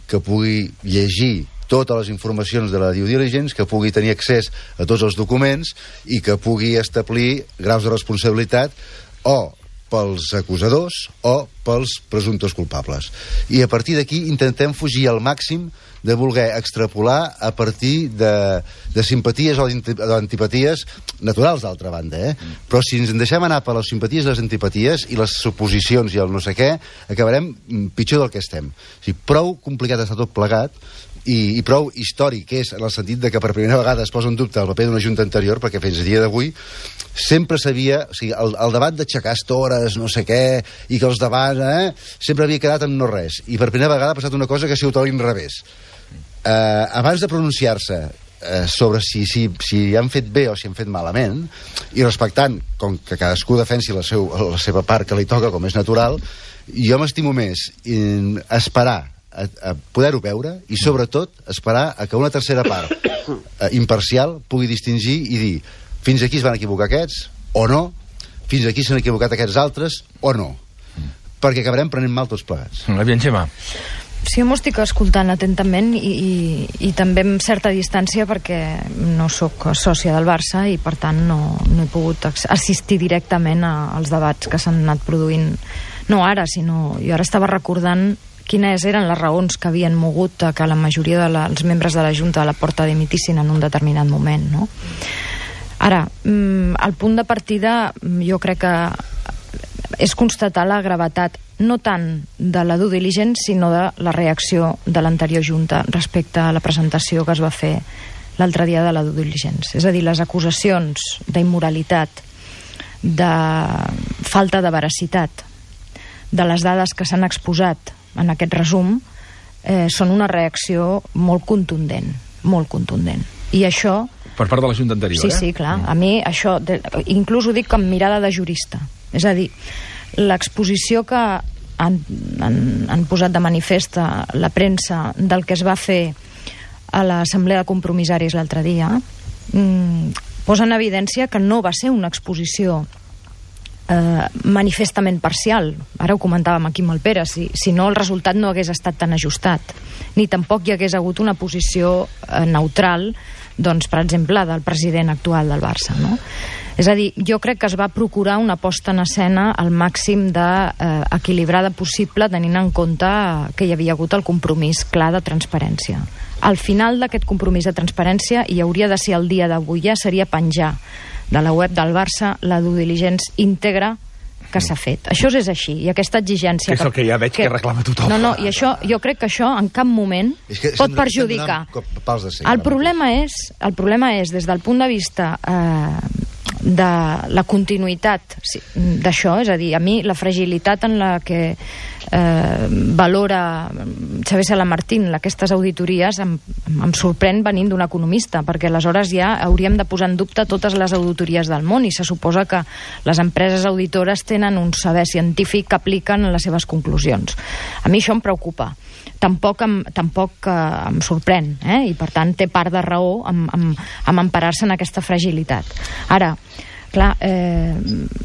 que pugui llegir totes les informacions de la due diligence, que pugui tenir accés a tots els documents i que pugui establir graus de responsabilitat o pels acusadors o pels presumptes culpables. I a partir d'aquí intentem fugir al màxim de voler extrapolar a partir de simpaties o d'antipaties naturals, d'altra banda, Però si ens en deixem anar per les simpaties i les antipaties i les suposicions i el no sé què, acabarem pitjor del que estem. O sigui, prou complicat està tot plegat i prou històric és en el sentit de que per primera vegada es posa en dubte el paper d'una junta anterior, perquè fins a dia d'avui sempre s'havia... O sigui, el debat d'aixecar estores, no sé què, i que els debats sempre havia quedat en no res. I per primera vegada ha passat una cosa que ha sigut a l'inrevés. Abans de pronunciar-se sobre si han fet bé o si han fet malament, i respectant com que cadascú defensi la seva part que li toca, com és natural, jo m'estimo més esperar a poder-ho veure i sobretot esperar a que una tercera part imparcial pugui distingir i dir fins aquí es van equivocar aquests o no, fins aquí s'han equivocat aquests altres o no, perquè acabarem prenent mal tots plegats. Aviam, Gemma. Sí, jo m'ho estic escoltant atentament i també amb certa distància perquè no sóc sòcia del Barça i per tant no he pogut assistir directament als debats que s'han anat produint, no ara, sinó jo ara estava recordant quines eren les raons que havien mogut que la majoria dels membres de la Junta de la Porta dimitissin en un determinat moment, no? Ara, el punt de partida jo crec que és constatar la gravetat no tant de la due diligence sinó de la reacció de l'anterior Junta respecte a la presentació que es va fer l'altre dia de la due diligence. És a dir, les acusacions d'immoralitat, de falta de veracitat, de les dades que s'han exposat en aquest resum, són una reacció molt contundent. I això... Per part de la Junta anterior, Sí, clar. A mi això, inclús ho dic amb mirada de jurista. És a dir, l'exposició que han posat de manifest la premsa del que es va fer a l'Assemblea de Compromissaris l'altre dia posa en evidència que no va ser una exposició manifestament parcial. Ara ho comentàvem aquí amb el Pere, si no el resultat no hagués estat tan ajustat, ni tampoc hi hagués hagut una posició neutral, doncs, per exemple, del president actual del Barça, no? És a dir, jo crec que es va procurar una posta en escena al màxim d'equilibrada possible, tenint en compte que hi havia hagut el compromís clar de transparència. Al final d'aquest compromís de transparència, i hauria de ser el dia d'avui ja, seria penjar de la web del Barça la due diligence íntegra que s'ha fet. Això és així, i aquesta exigència... Que és el que ja veig que reclama tothom. No, i això, jo crec que això en cap moment pot perjudicar. El problema és, des del punt de vista de la continuïtat d'això, és a dir, a mi la fragilitat en la que valora Xavier Salamartín aquestes auditories em sorprèn venint d'un economista, perquè aleshores ja hauríem de posar en dubte totes les auditories del món, i se suposa que les empreses auditores tenen un saber científic que apliquen en les seves conclusions. A mi això em preocupa. Tampoc em sorprèn, i per tant té part de raó amb emparar-se en aquesta fragilitat. Ara, clar,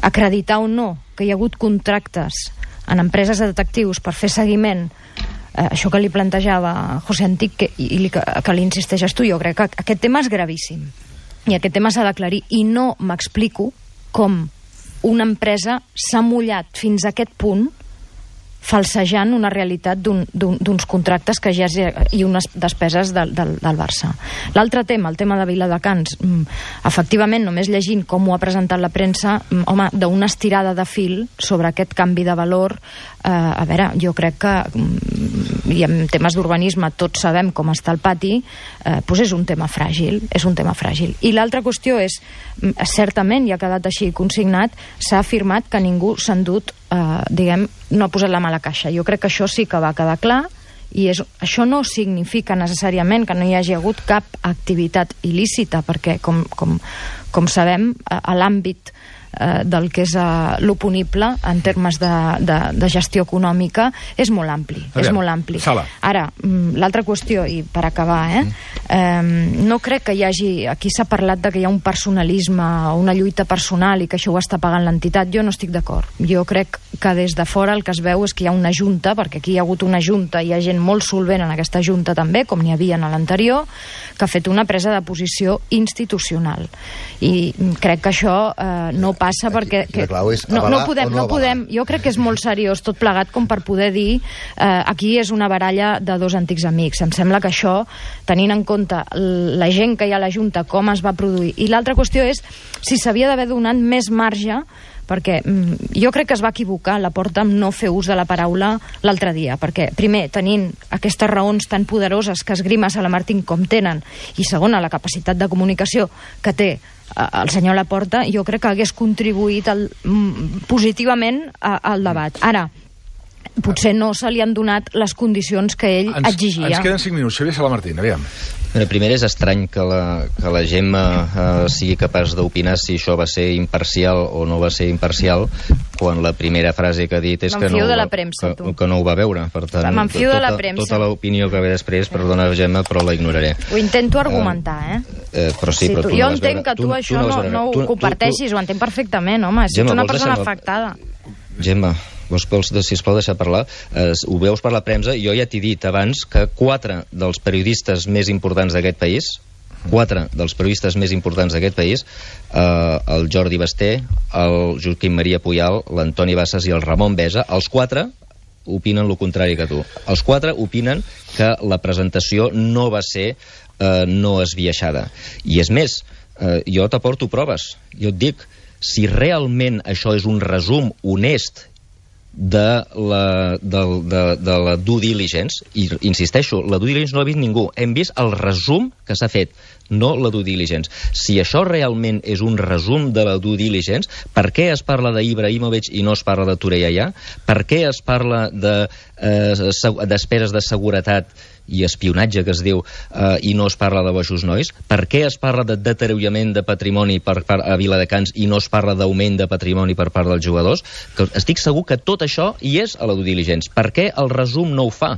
acreditar o no que hi ha hagut contractes en empreses de detectius per fer seguiment, això que li plantejava José Antic i que li insisteixes tu, jo crec que aquest tema és gravíssim i aquest tema s'ha d'aclarir, i no m'explico com una empresa s'ha mullat fins a aquest punt falsejant una realitat d'uns contractes que ja i unes despeses del Barça. L'altre tema, el tema de Viladecans, efectivament, només llegint com ho ha presentat la premsa, home, d'una estirada de fil sobre aquest canvi de valor, a veure, jo crec que, i en temes d'urbanisme tots sabem com està el pati, doncs és un tema fràgil, I l'altra qüestió és, certament, i ha quedat així consignat, s'ha afirmat que ningú s'ha endut, no ha posat la mà a la caixa. Jo crec que això sí que va quedar clar, i això no significa necessàriament que no hi hagi hagut cap activitat il·lícita, perquè, com sabem, a l'àmbit del que és l'oponible en termes de gestió econòmica és molt ampli. Sala. Ara, l'altra qüestió, i per acabar, no crec que hi hagi... Aquí s'ha parlat de que hi ha un personalisme o una lluita personal i que això ho està pagant l'entitat. Jo no estic d'acord. Jo crec que des de fora el que es veu és que hi ha una junta, perquè aquí hi ha hagut una junta i hi ha gent molt solvent en aquesta junta també, com n'hi havia en l'anterior, que ha fet una presa de posició institucional. I crec que això no passa perquè... No podem, jo crec que és molt seriós tot plegat com per poder dir aquí és una baralla de dos antics amics. Em sembla que això, tenint en compte la gent que hi ha a la Junta, com es va produir. I l'altra qüestió és si s'havia d'haver donat més marge, perquè jo crec que es va equivocar la Porta amb no fer ús de la paraula l'altre dia, perquè primer, tenint aquestes raons tan poderoses que esgrima Salamartín com tenen, i segona, la capacitat de comunicació que té el senyor Laporta, jo crec que hagués contribuït positivament al debat. Ara, potser no se li han donat les condicions que ell exigia. Ens queden 5 minuts. Xavier Salamartín, aviam. Primer, és estrany que la Gemma sigui capaç d'opinar si això va ser imparcial o no va ser imparcial, quan la primera frase que ha dit és que no ho va veure. Per tant, m'enfio de la premsa. Tota l'opinió que ve després, perdona, Gemma, però la ignoraré. Ho intento argumentar, però sí, però tu jo entenc que tu això no ho comparteixis, ho entenc perfectament, home, si ets una persona afectada. Gemma, sisplau, deixar parlar. Ho veus per la premsa. Jo ja t'he dit abans que 4 dels periodistes més importants d'aquest país, el Jordi Basté, el Joaquim Maria Puyal, l'Antoni Bassas i el Ramon Besa, els 4 opinen el contrari que tu. Els 4 opinen que la presentació no va ser no esbiaixada. I és més, jo t'aporto proves. Jo et dic, si realment això és un resum honest de la due diligence, i insisteixo, la due diligence no l'ha vist ningú, hem vist el resum que s'ha fet, no la due diligence. Si això realment és un resum de la due diligence, per què es parla d'Ibrahimovic i no es parla de Torreira? Per què es parla de despeses de seguretat i espionatge, que es diu, i no es parla de Bojos Nois? Per què es parla de deteriorament de patrimoni a Viladecans i no es parla d'augment de patrimoni per part dels jugadors? Que estic segur que tot això hi és a la due diligence. Per què el resum no ho fa?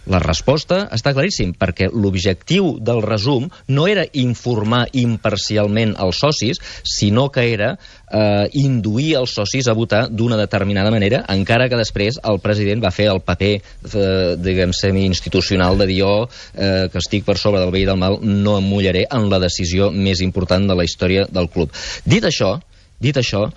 La resposta està claríssim, perquè l'objectiu del resum no era informar imparcialment els socis, sinó que era induir els socis a votar d'una determinada manera, encara que després el president va fer el paper, diguem, semi-institucional de dir que estic per sobre del bé i del mal, no em mullaré en la decisió més important de la història del club. Dit això, dit això,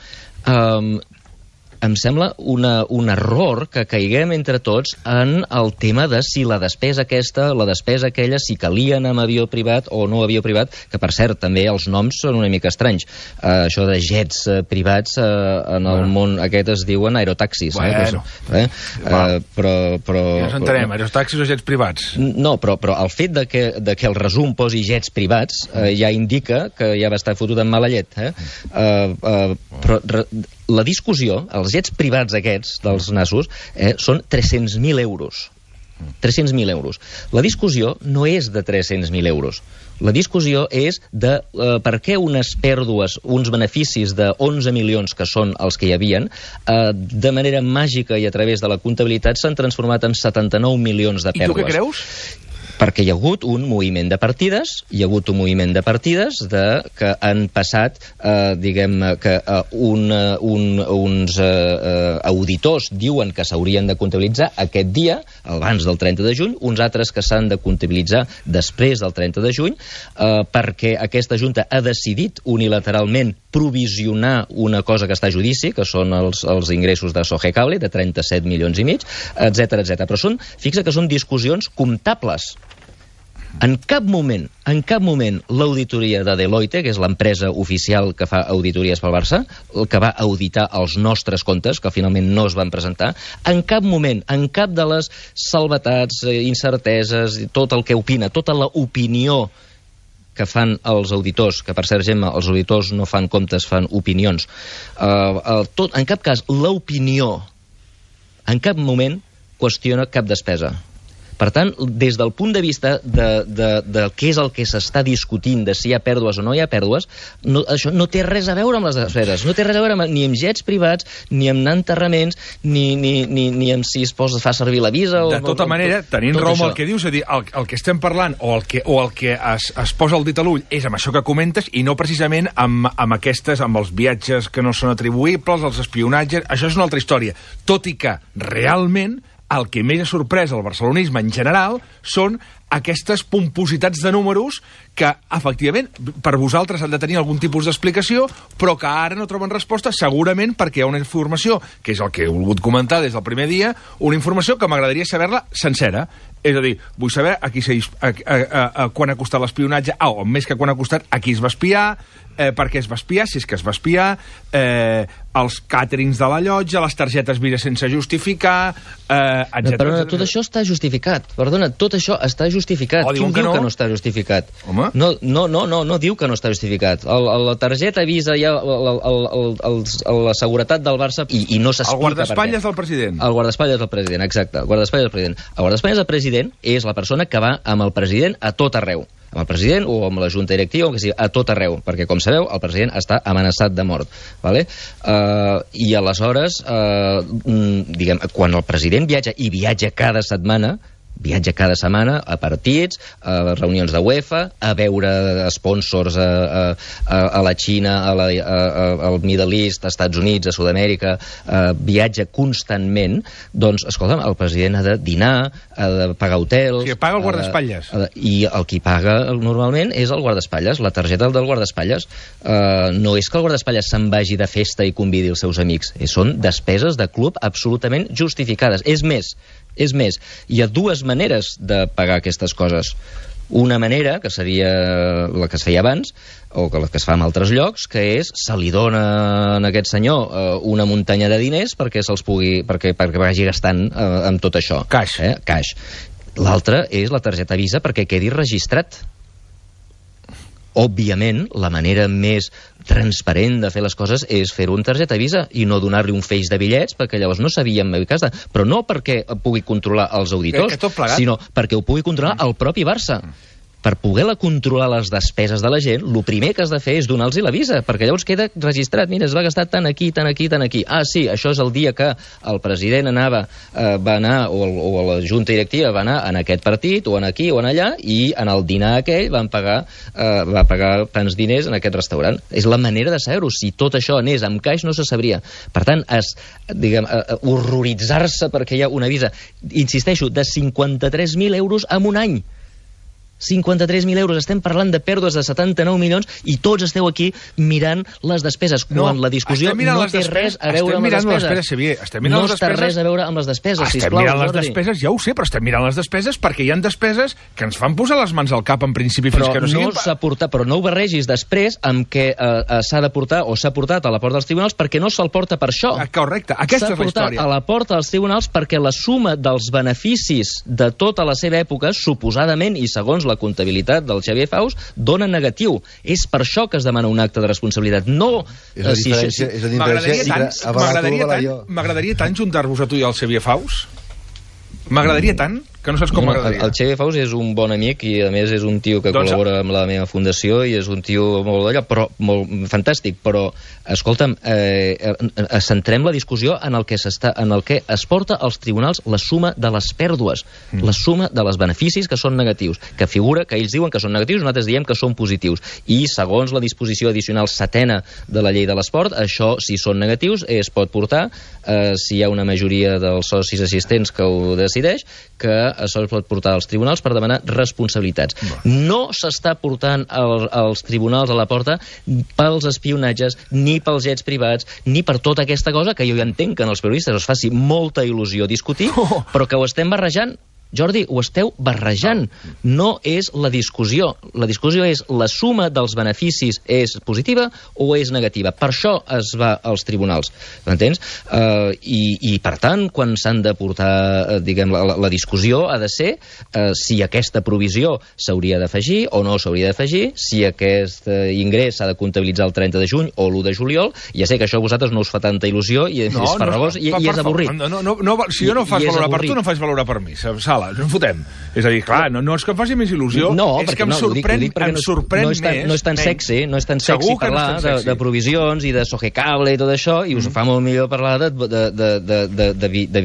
em sembla un error que caiguem entre tots en el tema de si la despesa aquesta, la despesa aquella, si calien amb avió privat o no avió privat, que per cert també els noms són una mica estranys. Això de jets privats en el món aquest es diuen aerotaxis. Bueno. Però ja ens entenem, aerotaxis o jets privats. No, però el fet de que el resum posi jets privats ja indica que ja va estar fotut en mala llet. Però la discussió, els jets privats aquests dels nassos, són 300.000 euros. 300.000 euros. La discussió no és de 300.000 euros. La discussió és de per què unes pèrdues, uns beneficis de 11 milions, que són els que hi havien, de manera màgica i a través de la comptabilitat s'han transformat en 79 milions de pèrdues. I tu què creus? Perquè hi ha hagut un moviment de partides, que han passat, que uns auditors diuen que s'haurien de comptabilitzar aquest dia, abans del 30 de juny, uns altres que s'han de comptabilitzar després del 30 de juny, perquè aquesta Junta ha decidit unilateralment provisionar una cosa que està a judici, que són els ingressos de Sogecable, de 37 milions i mig, etc. Però fixa que són discussions comptables. En cap moment l'auditoria de Deloitte, que és l'empresa oficial que fa auditories pel Barça, el que va auditar els nostres comptes, que finalment no es van presentar, en cap moment, en cap de les salvetats, incerteses, tot el que opina, tota l'opinió que fan els auditors, que per cert, Gemma, els auditors no fan comptes, fan opinions. En cap cas, l'opinió en cap moment qüestiona cap despesa. Per tant, des del punt de vista de què és el que s'està discutint, de si hi ha pèrdues o no hi ha pèrdues, això no té res a veure amb les despeses, no té res a veure ni amb jets privats, ni amb anar a enterraments, ni amb si es fa servir la visa... De tota manera, tenint raó amb el que dius, és a dir, el que estem parlant o el que es posa el dit a l'ull és amb això que comentes i no precisament amb els viatges que no són atribuïbles, els espionatges, això és una altra història. Tot i que, realment, el que més ha sorprès el barcelonisme en general són aquestes pompositats de números que, efectivament, per vosaltres han de tenir algun tipus d'explicació, però que ara no troben resposta, segurament perquè hi ha una informació, que és el que he volgut comentar des del primer dia, una informació que m'agradaria saber-la sencera. És a dir, vull saber quan ha costat l'espionatge, o més que quan ha costat, a qui es va espiar, per què es va espiar, si és que es va espiar, els càterings de la llotja, les targetes Visa sense justificar, etc. Però tot això està justificat. Perdona, tot això està justificat. Qui diu que no està justificat? Home? No diu que no està justificat. La targeta Visa, la seguretat del Barça, i no s'explica per què. El guardaespatlles del president. El guardaespatlles del president, exacte. El guardaespatlles del president. El guardaespatlles del president és la persona que va amb el president a tot arreu. Amb el president o amb la junta directiva, o que sigui, a tot arreu, perquè, com sabeu, el president està amenaçat de mort. Vale? I aleshores, quan el president viatja cada setmana a partits, a reunions de UEFA, a veure sponsors a la Xina, al Middle East, als Estats Units, a Sud-amèrica, viatja constantment, doncs, escolta'm, el president ha de dinar, ha de pagar hotels... O sigui, paga el guardaespatlles. I el qui paga normalment és el guardaespatlles, la targeta del guardaespatlles. No és que el guardaespatlles se'n vagi de festa i convidi els seus amics, són despeses de club absolutament justificades. És més, hi ha dues maneres de pagar aquestes coses. Una manera, que seria la que es feia abans, o la que es fa en altres llocs, que és, se li dona a aquest senyor una muntanya de diners perquè vagi gastant amb tot això. Caix. Caix. L'altra és la targeta Visa perquè quedi registrat. Òbviament, la manera més transparent de fer les coses és fer-ho en targeta Visa i no donar-li un feix de bitllets, perquè llavors no sabíem casa. Però no perquè pugui controlar els auditors, sinó perquè ho pugui controlar el propi Barça. Per poder controlar les despeses de la gent, el primer que has de fer és donar-los la Visa, perquè llavors queda registrat. Mira, es va gastar tant aquí, tant aquí, tant aquí. Ah, sí, això és el dia que el president va anar, o la junta directiva va anar en aquest partit, o en aquí, o en allà, i en el dinar aquell va pagar tants diners en aquest restaurant. És la manera de saber-ho. Si tot això anés amb caix, no se sabria. Per tant, horroritzar-se perquè hi ha una Visa, insisteixo, de 53.000 euros en un any. 53.000 euros. Estem parlant de pèrdues de 79 milions i tots esteu aquí mirant les despeses, quan la discussió no té res a veure amb les despeses. No està res a veure amb les despeses, sisplau. Estem mirant les despeses, ja ho sé, però estem mirant les despeses perquè hi ha despeses que ens fan posar les mans al cap en principi fins que no siguin... Però no ho barregis després amb què s'ha de portar o s'ha portat a la porta dels tribunals perquè no se'l porta per això. Correcte, aquesta és la història. S'ha portat a la porta dels tribunals perquè la suma dels beneficis de tota la seva època, suposadament, i segons la comptabilitat del Xavier Faus, dona negatiu. És per això que es demana un acte de responsabilitat. No... M'agradaria tant juntar-vos a tu i al Xavier Faus. M'agradaria tant que no saps com m'agradaria. El Xavier Faus és un bon amic i a més és un tio que col·labora amb la meva fundació i és un tio molt d'allò, però molt fantàstic, però escolta'm, centrem la discussió en el que es porta als tribunals la suma de les pèrdues, la suma de els beneficis que són negatius, que figura que ells diuen que són negatius, nosaltres diem que són positius, i segons la disposició addicional 7ª de la llei de l'esport, això, si són negatius, es pot portar, si hi ha una majoria dels socis assistents que ho decideix, que això es pot portar als tribunals per demanar responsabilitats. No s'està portant als tribunals a la porta pels espionatges, ni pels jets privats, ni per tota aquesta cosa que jo ja entenc que en els periodistes us faci molta il·lusió discutir, però que ho estem barrejant. Jordi, ho esteu barrejant. No és la discussió. La discussió és la suma dels beneficis és positiva o és negativa. Per això es va als tribunals. M'entens? I per tant, quan s'han de portar, diguem, la discussió ha de ser si aquesta provisió s'hauria d'afegir o no s'hauria d'afegir, si aquest ingrés s'ha de comptabilitzar el 30 de juny o l'1 de juliol. Ja sé que això a vosaltres no us fa tanta il·lusió i és farragós i és avorrit. Si jo no faig valorar per tu, no faig valorar per mi. No en fotem. És a dir, clar, no és que em faci més il·lusió, és que em sorprèn més. No és tan sexy parlar de provisions i de Sogecable i tot això, i us fa molt millor parlar de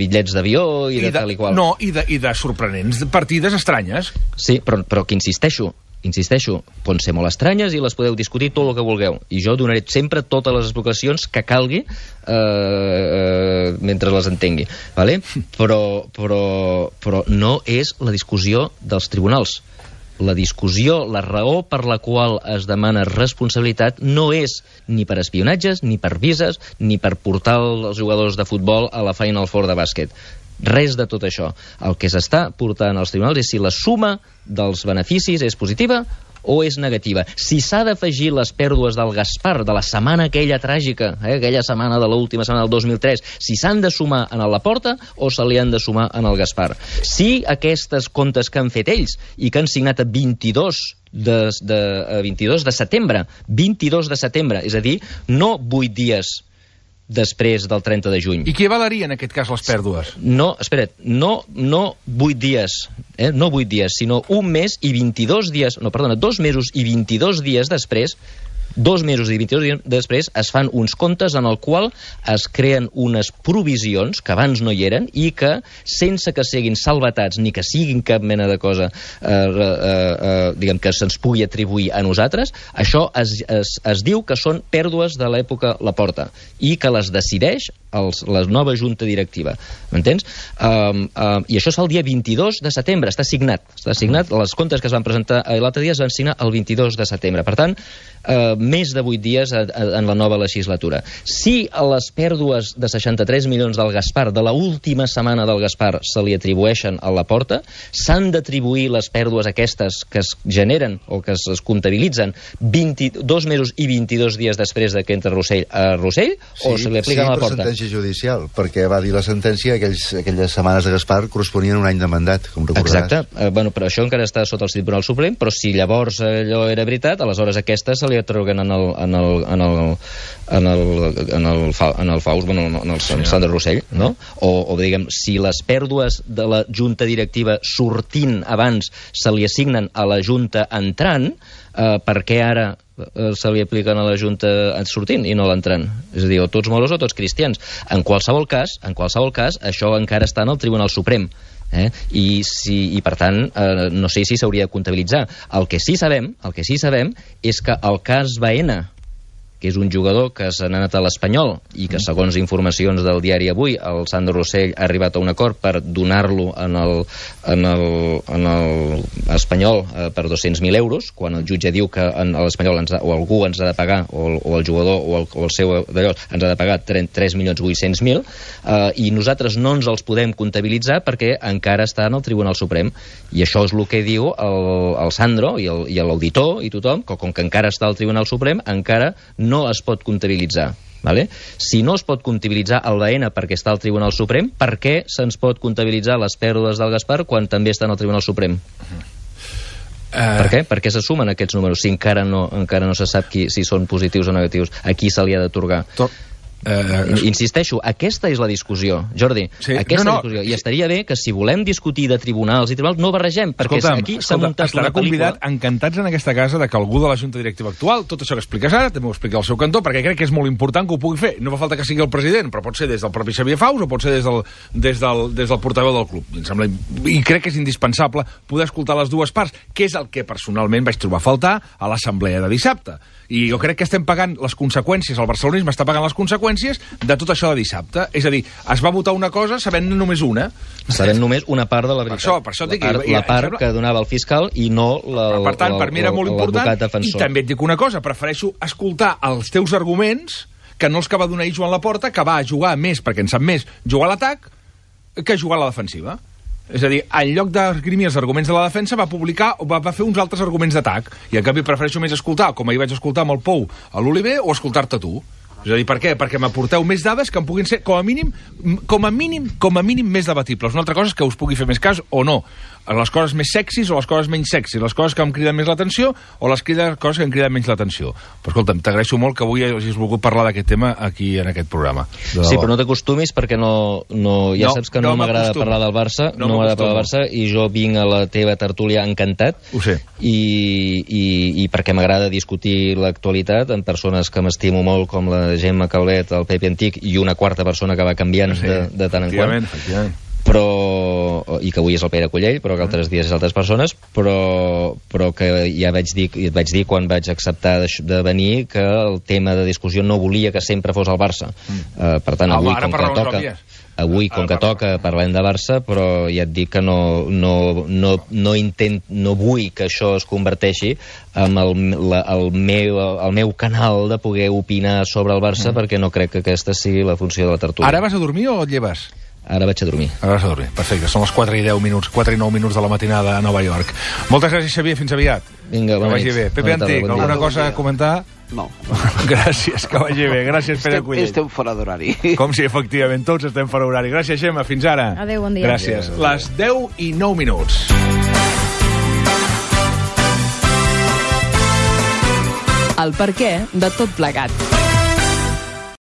bitllets d'avió i de tal i qual. No, i de sorprenents partides estranyes. Sí, però que insisteixo, poden ser molt estranyes i les podeu discutir tot el que vulgueu. I jo donaré sempre totes les explicacions que calgui mentre les entengui. Vale? Però no és la discussió dels tribunals. La discussió, la raó per la qual es demana responsabilitat no és ni per espionatges, ni per vises, ni per portar els jugadors de futbol a la Final Four de bàsquet. Res de tot això. El que s'està portant als tribunals és si la suma dels beneficis és positiva o és negativa. Si s'ha d'afegir les pèrdues del Gaspar, de la setmana aquella tràgica, aquella setmana de l'última setmana del 2003, si s'han de sumar en la porta o se li han de sumar en el Gaspar. Si aquestes comptes que han fet ells i que han signat a 22 de setembre, és a dir, no 8 dies després del 30 de juny. I què valeria en aquest cas les pèrdues? No, espera't, no 8 dies, no 8 dies, sinó 2 mesos i 22 dies després, 2 mesos i 22 dies després es fan uns comptes en el qual es creen unes provisions que abans no hi eren i que, sense que siguin salvatats ni que siguin cap mena de cosa diguem que se'ns pugui atribuir a nosaltres, això es diu que són pèrdues de l'època Laporta i que les decideix la nova junta directiva. M'entens? I això és el dia 22 de setembre, està signat. Les comptes que es van presentar l'altre dia es van signar el 22 de setembre. Per tant, més de 8 dies en la nova legislatura. Si a les pèrdues de 63 milions del Gaspar, de l'última setmana del Gaspar, se li atribueixen a la porta, s'han d'atribuir les pèrdues aquestes que es generen o que es comptabilitzen 2 mesos i 22 dies després que entra Rossell a Rossell, o se li apliquen a la porta? Sí, per sentència judicial, perquè va dir la sentència que aquelles setmanes de Gaspar corresponien a un any de mandat, com recordaràs. Exacte, però això encara està sota el Tribunal Suprem, però si llavors allò era veritat, aleshores aquestes se li atorguen en el Faus, en el Sandra Rossell, no? O diguem, si les pèrdues de la junta directiva sortint abans se li assignen a la junta entrant, per què ara se li apliquen a la junta sortint i no l'entrant? És a dir, o tots moros o tots cristians. En qualsevol cas, això encara està en el Tribunal Suprem. I per tant no sé si s'hauria de comptabilitzar. El que sí sabem és que el cas Baena, que és un jugador que s'ha anat a l'Espanyol i que, segons informacions del diari Avui, el Sandro Rossell ha arribat a un acord per donar-lo en l'Espanyol per 200.000 euros, quan el jutge diu que l'Espanyol o algú ens ha de pagar, o el jugador o el seu d'allò ens ha de pagar 3.800.000, i nosaltres no ens els podem comptabilitzar perquè encara està en el Tribunal Suprem. I això és el que diu el Sandro i l'auditor i tothom, que com que encara està al Tribunal Suprem, encara no es pot comptabilitzar. Vale? Si no es pot comptabilitzar el Baena perquè està al Tribunal Suprem, per què se'ns pot comptabilitzar les pèrdues del Gaspar quan també està en el Tribunal Suprem? Per què? Per què se sumen aquests números si encara no se sap si són positius o negatius? A qui se li ha d'atorgar? Insisteixo, aquesta és la discussió, Jordi. Sí. Discussió. I estaria bé que si volem discutir de tribunals i tribunals no barregem, perquè aquí s'ha muntat una pel·lícula. Convidat, encantats en aquesta casa, de que algú de la Junta Directiva actual, tot això que expliques ara, també ho explica al seu cantó, perquè crec que és molt important que ho pugui fer. No fa falta que sigui el president, però pot ser des del propi Xavier Faus o pot ser des del portaveu del club. I crec que és indispensable poder escoltar les dues parts, que és el que personalment vaig trobar a faltar a l'assemblea de dissabte. I jo crec que estem pagant les conseqüències, el barcelonisme està pagant les conseqüències de tot això de dissabte. És a dir, es va votar una cosa sabent només una. Sabent només una part de la veritat. Per això dic, la part que donava el fiscal i no per tant, per mi era molt important. I també et dic una cosa, prefereixo escoltar els teus arguments que no els que va donar Joan Laporta, que va jugar més, perquè en sap més, jugar a l'atac que jugar a la defensiva. És a dir, en lloc d'esgrimir els arguments de la defensa, va fer uns altres arguments d'atac. I en canvi prefereixo més escoltar, com ahir vaig escoltar amb el Pou a l'Oliver, o escoltar-te tu. És a dir, per què? Perquè m'aporteu més dades que em puguin ser, com a mínim, més debatibles. Una altra cosa és que us pugui fer més cas o no. Les coses més sexis o les coses menys sexis, les coses que em criden més l'atenció o les coses que em criden menys l'atenció. Però escolta'm, t'agraeixo molt que avui hagis volgut parlar d'aquest tema aquí en aquest programa. Sí, però no t'acostumis perquè ja saps que no m'agrada parlar del Barça, no m'agrada parlar del Barça, i jo vinc a la teva tertúlia encantat. Ho sé. I perquè m'agrada discutir l'actualitat amb persones que m'estimo molt, com la Gemma Calvet, el Pepe Antic i una quarta persona que va canviant de tant en quant. Efectivament. I que avui és el Pere Collell, però que altres dies és altres persones, però que ja et vaig dir quan vaig acceptar de venir que el tema de discussió no volia que sempre fos el Barça. Per tant, avui com que toca parlem de Barça, però ja et dic que no vull que això es converteixi en el meu canal de poder opinar sobre el Barça, perquè no crec que aquesta sigui la funció de la tertúlia. Ara vas a dormir o et lleves? Ara vaig a dormir. Ara vas a dormir, perfecte. Són les 4 i 9 minuts de la matinada a Nova York. Moltes gràcies, Xavier, fins aviat. Vinga, que vagi bé. Pepe Antic, alguna cosa a comentar? No. Gràcies, que vagi bé. Gràcies, Pere Collell. Estem fora d'horari. Com si, efectivament, tots estem fora d'horari. Gràcies, Gemma, fins ara. Adéu, bon dia. Gràcies. Les 10 i 9 minuts. El perquè de tot plegat.